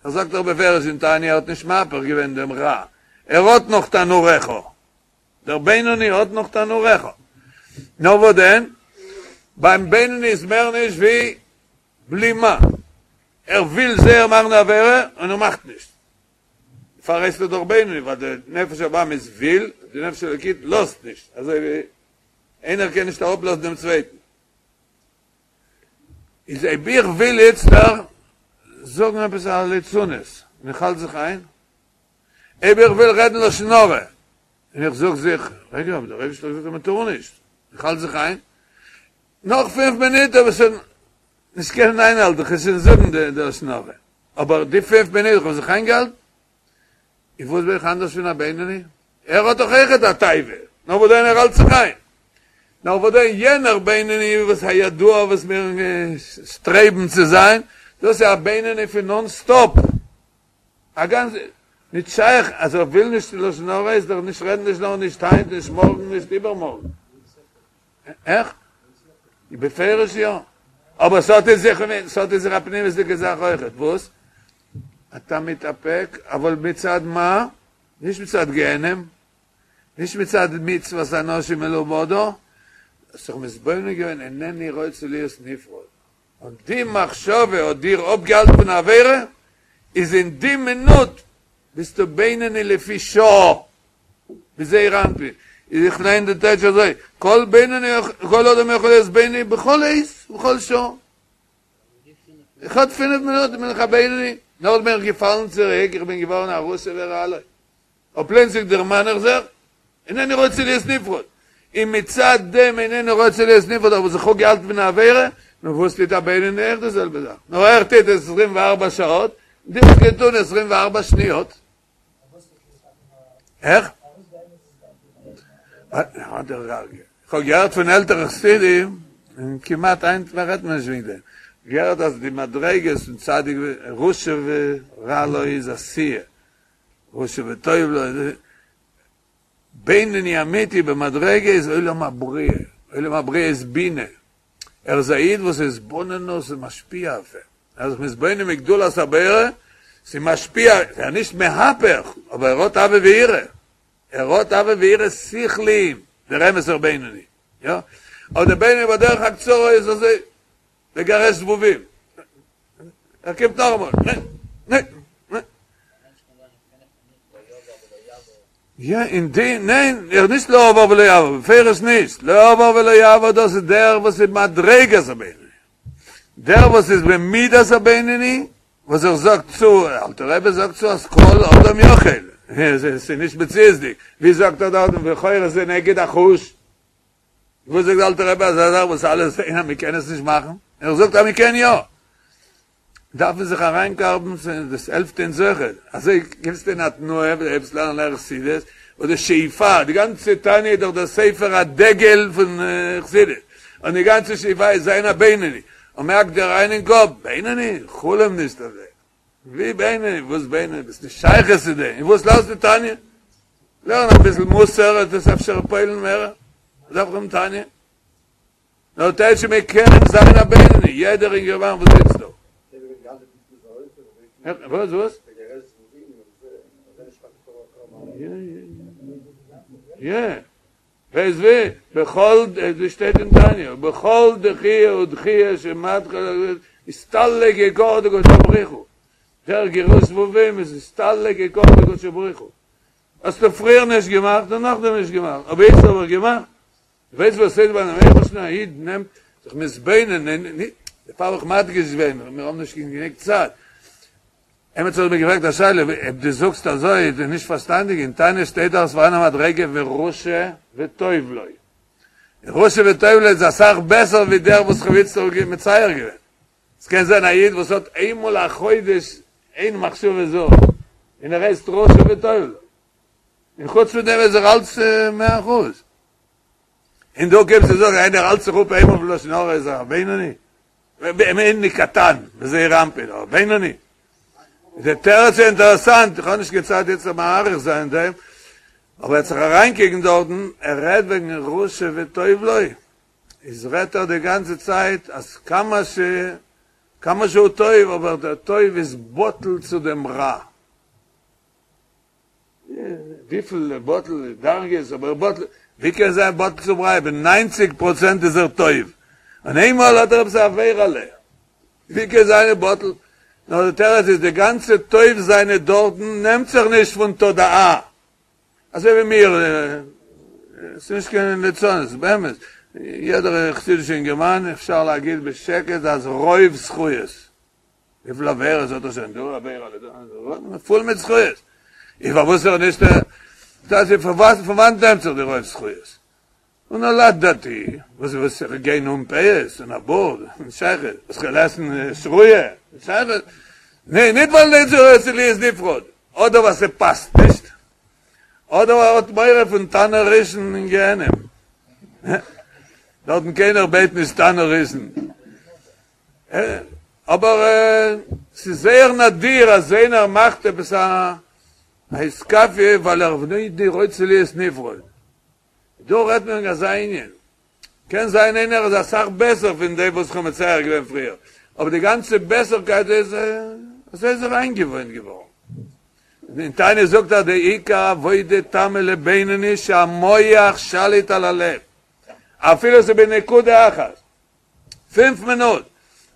ער זאגט דאך בפירוש אין תניא ער האט נישט מהפך געווען דעם רע, ער האט נאך תנוריך, דער בינוני האט נאך תנוריך. נאר וואס דען? ביים בינוני איז מער נישט ווי בלימה, ער וויל זייער מאכן די עבירה און ער מאכט נישט. דערפאר הייסט ער דאך בינוני, ווייל די נפש הבהמית וויל, די נפש האלוקית לאזט נישט, אזוי ווי איינער קען נישט אראפלאזן דעם צווייטן. איז אויב איך וויל איצטער זאגן עפעס א ליצנות און איך האלט זיך איין, אויב איך וויל רעדן לשון הרע און איך זאג זיך, רגע, אבער דער אייבערשטער האט געזאגט אז מען טאר נישט, איך האלט זיך איין, נאך פינף מינוט האב איך שוין נישט קענען איינהאלטן, איך וועל שוין זאגן די לשון הרע, אבער די פינף מינוט איך האב זיך איינגעהאלטן, און וואס בין איך אנדערש פון א בינוני? ער האט דאך אויכעט א תאווה, נאר וואס דען ער האלט זיך איין. נאר וואס דען יענער בינוני וואס הידוע וואס מיר שטרעבן צו זיין, דאס איז א בינוני פון נאן סטאפ. א גאנץ, נישט שייך אז ער וויל נישט לשון הרע איז דאך נישט רעדן לשון הרע נישט היינט נישט מארגן נישט איבערמארגן. איך? בפירוש יא. אבער ס'האט אין זיך, ס'האט אין זיך א פנימיות'דיגע זאך אויכעט. וואס? אתה מתאפק, אבל מצד מה? נישט מצד גיהנם, נישט מצד מצוות אנשים מלומדה, האסט זיך מתבונן געווען אינני רוצה להיות נפרד, און די מחשבה האט דיר אפגעהאלטן פון א עבירה, איז אין די מינוט ביסטו בינוני לפי שעה, בזעיר אנפין, איז איך ליין די טייטש אזוי, כל בינוני, כל אדם יכול להיות בינוני בכל עת ובכל שעה. איך האט פינף מינוט בין איך א בינוני, נאכדעם בין איך געפאלן צוריק, איך בין געווארן א רשע ורע לו. אבער פלוצלינג דערמאן איך זיך, אינני רוצה להיות נפרד. און מצד דעם אינני רוצה להיות נפרד האב איך זיך אפגעהאלטן פון א עבירה, נו וואס טוט א בינוני אויך די זעלבע זאך, נאר ער טוט עס עשרים וארבע שעות, דו האסט געטון עשרים וארבע שניות. איך? איך האב געהערט פון עלטערע חסידים, און כמעט היינט מער רעדט מען נישט וועגן דעם, געהערט אז די מדריגות פון צדיק רשע ורע לו איז עשיה, רשע וטוב לו, בינוני אמיתי במדרגה איז עולם הבריאה, עולם הבריאה איז בינה, ער איז א איד וואס איז התבוננות איז משפיע אויף אים, ער איז זיך מתבונן בגדולת הבורא, ס'איז משפיע, ער איז נישט מהפך, אבער ער האט אהבה ויראה, ער האט אהבה ויראה שכליים, דער אמת'ער בינוני, יא, אבער דער בינוני בדרך הקצרה איז אזוי, לגרש זבובים, ער קומט נאכאמאל, ניין, ניין, ניין. יא, אין די, ניין, ער נישט לא עבר ולא יעבור, בפירוש נישט, לא עבר ולא יעבור דאס איז דער וואס איז מדרגת הבינוני, דער וואס איז במידת הבינוני, וואס ער זאגט צו, אלטער רבי זאגט צו אז כל אדם יכול, עס איז נישט מציאות'דיג, ווי זאגט ער דארטן לכאורה זה נגד החוש? וואס זאגט דער אלטער רבי אזא זאך וואס אלע זעען אז מען קען עס נישט מאכן, ער זאגט אז מען קען יא, דארף מען זיך אריינקארבן דאס העלפט אונז אויכעט, אזוי קומסטו אין א תנועה וואו דו הייבסט לערנען לערן חסידות, אדער שאיפה, די גאנצע תניא איז דאך דער ספר הדגל פון חסידות, און די גאנצע שאיפה איז זיין א בינוני, און מען האקט דיר אריין אין קאפ, בינוני? חלום נישט אויף דעם, ווי בינוני? וואס בינוני? ביסט נישט שייך צו דעם, און וואס לערנסטו תניא? לערן אביסל מוסר וועט עס אפשר פועל'ן מער, דארף איך האבן תניא? נאר טייטש מען קען זיין א בינוני, יעדער אינגערמאן וואס זיצט דא. וואס וואס? יא, ווייסט ווי? בכל, דאס שטייט אין תניא, בכל דחיה ודחיה שמתחיל אסתלק יקרא דקודשא בריך הוא, דער גירוש זבובים איז אסתלק יקרא דקודשא בריך הוא. האסטו פריער נישט געמאכט און נאכדעם נישט געמאכט, אבער יעצט האב איך געמאכט. דו ווייסט וואס ס'איז ביים אייבערשטן א איד נעמט זיך מתבונן, דערפאר האב איך מדגיש געווען, מיר האבן נישט גענוג צייט. עמיצער האט מיר געפרעגט א שאלה, אויב דו זאגסט אזוי איז נישט פארשטאנדיג, אין תניא שטייט דאך ס'פארהאן א מדריגה ורשע וטוב לו. רשע וטוב לו איז אסאך בעסער ווי דער וואס כ'האב איצט מצייר געווען. עס קען זיין א איד וואס האט איינמאל א חודש איין מחשבה זרה, און ער הייסט רשע וטוב לו, און חוץ פון דעם איז ער אלץ מאה אחוז. און דא קומסטו זאגן איינער האלט זיך אפ איינמאל פון לשון הרע איז ער א בינוני? בינוני קטן, בזעיר אנפין, אבער בינוני? די תירוץ איז אינטערעסאנט, איך האב נישט קיין צייט יעצט מאריך זיין אין דעם, אבער ער האט זיך אריינקוקן דארטן, ער רעדט וועגן רשע וטוב לו, איז רעדט ער די גאנצע צייט אז כמה ש כמה שהוא טוב אבער דער טוב איז בטל צו דעם רע. וויפיל בטל דרגות אבער בטל ווי קען זיין בטל צום רע אויב ניינציג פראצענט איז ער טוב און איינמאל האט ער עפעס א עבירה'לע ווי קען זיין בטל נאר די תירוץ איז די גאנצע טוב זיינע דארטן נעמט זיך נישט פון תודעה אזוי ווי מיר, ס'איז נישט קיין ליצנות, באמת, יעדער חסידישע אינגערמאן אפשר להגיד בשקט אז רוב זכויות, וויפיל עבירות האט ער שוין דא, עבירה לדא, פול מיט זכויות, איז פארוואס ער נישט, דאס איז פון וואנעט נעמט זיך די רוב זכויות? און נולד דתי, וואס וואס איך גיין אן פאות און א בארד, נישט שייך, וואס כ'וועל עסן שרויה, נישט שייך, ניין, ניט ווייל איני רוצה להיות נפרד, אדער ווייל ס'פאסט נישט, אדער ווייל ער האט מורא פון תנור ראשון אין גיהנום, דארטן קיינער בעט נישט תנור ראשון, אבער ס'איז זייער נדיר אז איינער מאכט עפעס א אתכפיא ווייל ער איני רוצה להיות נפרד. דא רעדט מען וועגן אזא ענין. קען זיין איינער איז אסאך בעסער פון דעם וואס כ'האב מצער געווען פריער, אבער די גאנצע בעסערקייט איז אזוי איז ער איינגעוואוינט געווארן. אין תניא זאגט ער די עיקר עבודה תמה לבינוני שהמוח שליט על הלב, אפילו ס'איז בנקודה אחת, פינף מינוט,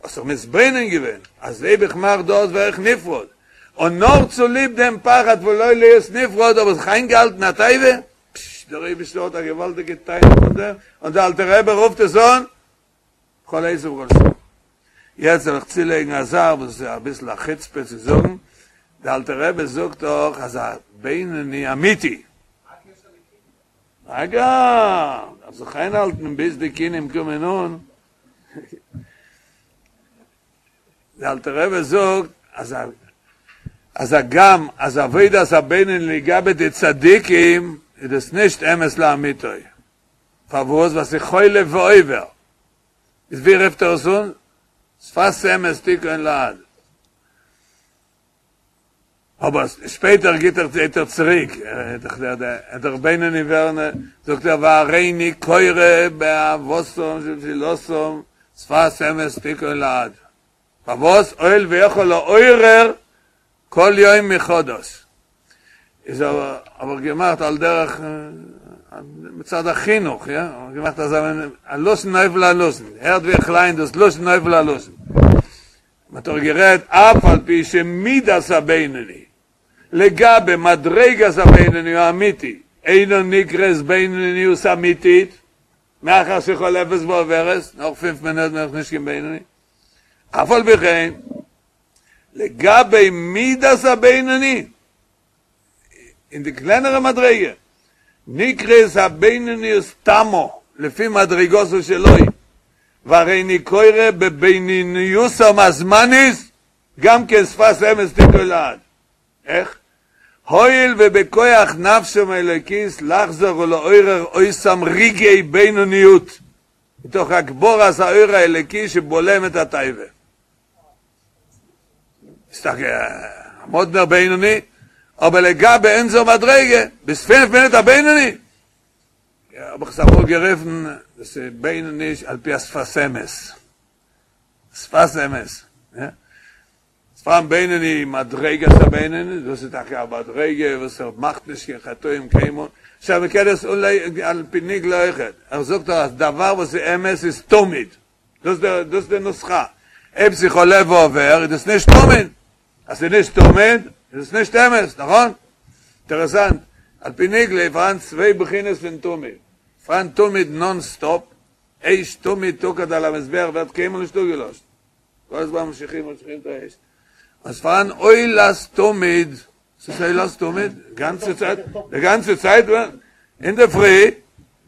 האסט זיך מתבונן געווען אז אויב איך מאך דאס ווער איך נפרד, און נאר צוליב דעם פחד פון לא להיות נפרד האב איך זיך איינגעהאלטן א תאווה, פשש, דער אייבערשטער האט א געוואלדיגע תענוג פון דעם, און דער אלטער רבי רופט עס אן בכל עת ובכל שעה. יעצט זאל איך צולייגן א זאך וואס איז אביסל א חוצפה צו זאגן, דער אלטער רבי זאגט דאך אז א בינוני אמיתי, רגע, דארף זיך איינהאלטן ביז די כינים קומען אן. דער אלטער רבי זאגט אז אז הגם אז עבודת הבינוני לגבי די צדיקים איז דאס נישט אמת לאמיתו. פארוואס? ווייל ס'איז חולף ועובר. איז ווי רופט ער עס אן? שפת אמת תכון לעד. אבער שפעטער גיט ער גייט ער צוריק, דער בינוני ווערן, זאגט ער והריני קורא באהבתם שבתפילתם שפת אמת תכון לעד, פארוואס הואיל ויכול לעורר כל יום מחדש, איז אבער האב איך געמאכט על דרך מצד החינוך, יא, האב איך געמאכט אזא מין א לשון נופל על לשון, הערט ווי איך ליין דאס לשון נופל על לשון. מען האט דאך גערעדט אף על פי שמידת הבינוני לגבי מדריגת הבינוני האמיתי אינה נקראת בינוניות אמיתית מאחר שחולפת ועוברת, נאך פינף מינוט בין איך נישט קיין בינוני, אף על פי כן לגבי מידת הבינוני אין די קלענערע מדריגה, נקראת הבינוניות תמה לפי מדריגתו שלו, והריני קורא בבינוניותם הזמנית גם כן שפת אמת תכון לעד. איך? הואיל ובכוח נפשם האלוקית לחזור ולעורר אותם רגעי בינוניות מתוך הגברת האור האלוקי שבולם את התאווה. איז טאקע א מאדנער בינוני, אבער לגבי אונזער מדריגה, ביז פינף מינוט א בינוני? האב איך עס אמאל גערופן, דאס איז בינוני על פי השפת אמת. שפת אמת. יא. ס'פארהאן בינוני מדריגת הבינוני, דאס איז טאקע א מדריגה וואס ער מאכט נישט קיין חטאים קיינמאל. עכשיו מ'קען עס אנלייגן על פי נגלה אויכעט. ער זאגט דאך אז דבר וואס איז אמת איז תמיד. דאס איז די נוסחה. אויב ס'איז חולף ועובר איז דאס נישט תמיד. אז ס'איז נישט תמיד איז עס נישט אמת, נכון? אינטערעסאנט, על פי נגלה איז פארהאן צוויי בחינות פון תמיד. פארהאן תמיד נאן סטאפ, אש תמיד תוקד על המזבח ווערט קיינמאל נישט אפגעלאשן. כל הזמן ממשיכים ממשיכים את האש. אז פארהאן עולת תמיד, וואס איז עולת תמיד? גאנצע צייט, די גאנצע צייט, אינדערפרי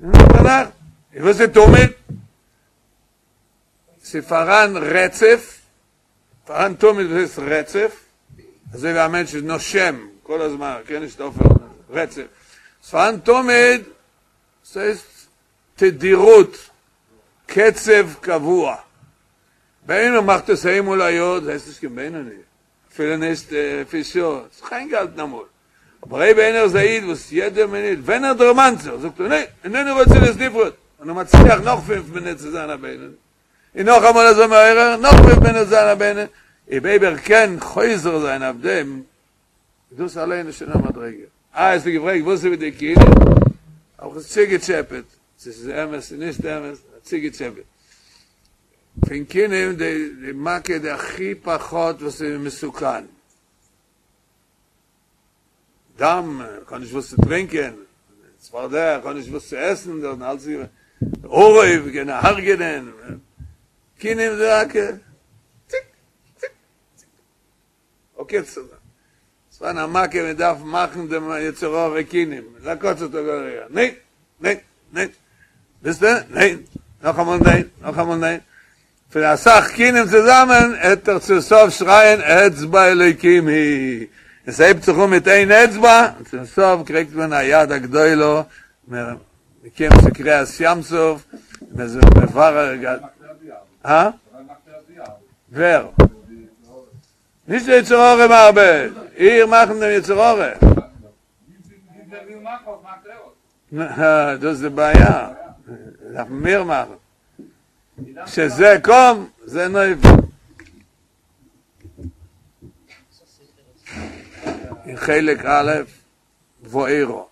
און ביינאכט. וואס איז תמיד? ס'איז פאראן רצף, פאראן תמיד וואס הייסט רצף, אזוי ווי א מענטש איז נושם כל הזמן, ער קען נישט אויפהערן, רצף. ס'איז פאראן תמיד, ס'הייסט תדירות, קצב קבוע. ווען איינער מאכט עס איינמאל א יאר, דאס הייסט נישט קיין בינוני, אפילו נישט לפי שעה, האט זיך איינגעהאלטן אמאל. אבער אויב איינער איז א איד וואס יעדע מינוט ווען ער דערמאנט זיך זאגט ער ניין, אינני רוצה להיות נפרד, און ער מצליח נאך פינף מינוט צו זיין א בינוני, און נאכאמאל אזוי מעורר, נאך פינף מינוט זיין א בינוני, אויב ער קען חוזר זיין אויף דעם, דאס אליין איז שוין א מדריגה. אה, האסטו געפרעגט וואס איז מיט די כינים? האב איך עס צוגעטשעפעט, צו ס'איז אמת צו נישט אמת, צוגעטשעפעט. פון כינים די מכה די הכי פחות וואס איז מסוכן. דם, איך האב נישט וואס צו טרינקען, צפרדע, איך האב נישט וואס צו עסן, דארטן אלץ איז געווען, עורב, קען הרג'ענען, כינים זה רק ציק, ציק, ציק, אקעי, ס'פארהאן א מכה מען דארף מאכן דעם יצר הרע כינים, לעקוץ אותו, ניין, ניין, ניין, ביסטע? ניין, נאכאמאל ניין, נאכאמאל ניין, פון אסאך כינים צוזאמען העט ער צום סוף שרייען אצבע אלוקים היא, עס הייבט זיך אן מיט איין אצבע און צום סוף קריגט מען א יד הגדולה, מען קומט צו קריעת ים סוף, מען איז מברר, הא? ווער? נישט די יצר הרע מאבד, איך מאכן דעם יצר הרע. דאס איז די בעיה. דארף מען מער מאכן. שזה קם, זה נופל. אין חלק א', וארא.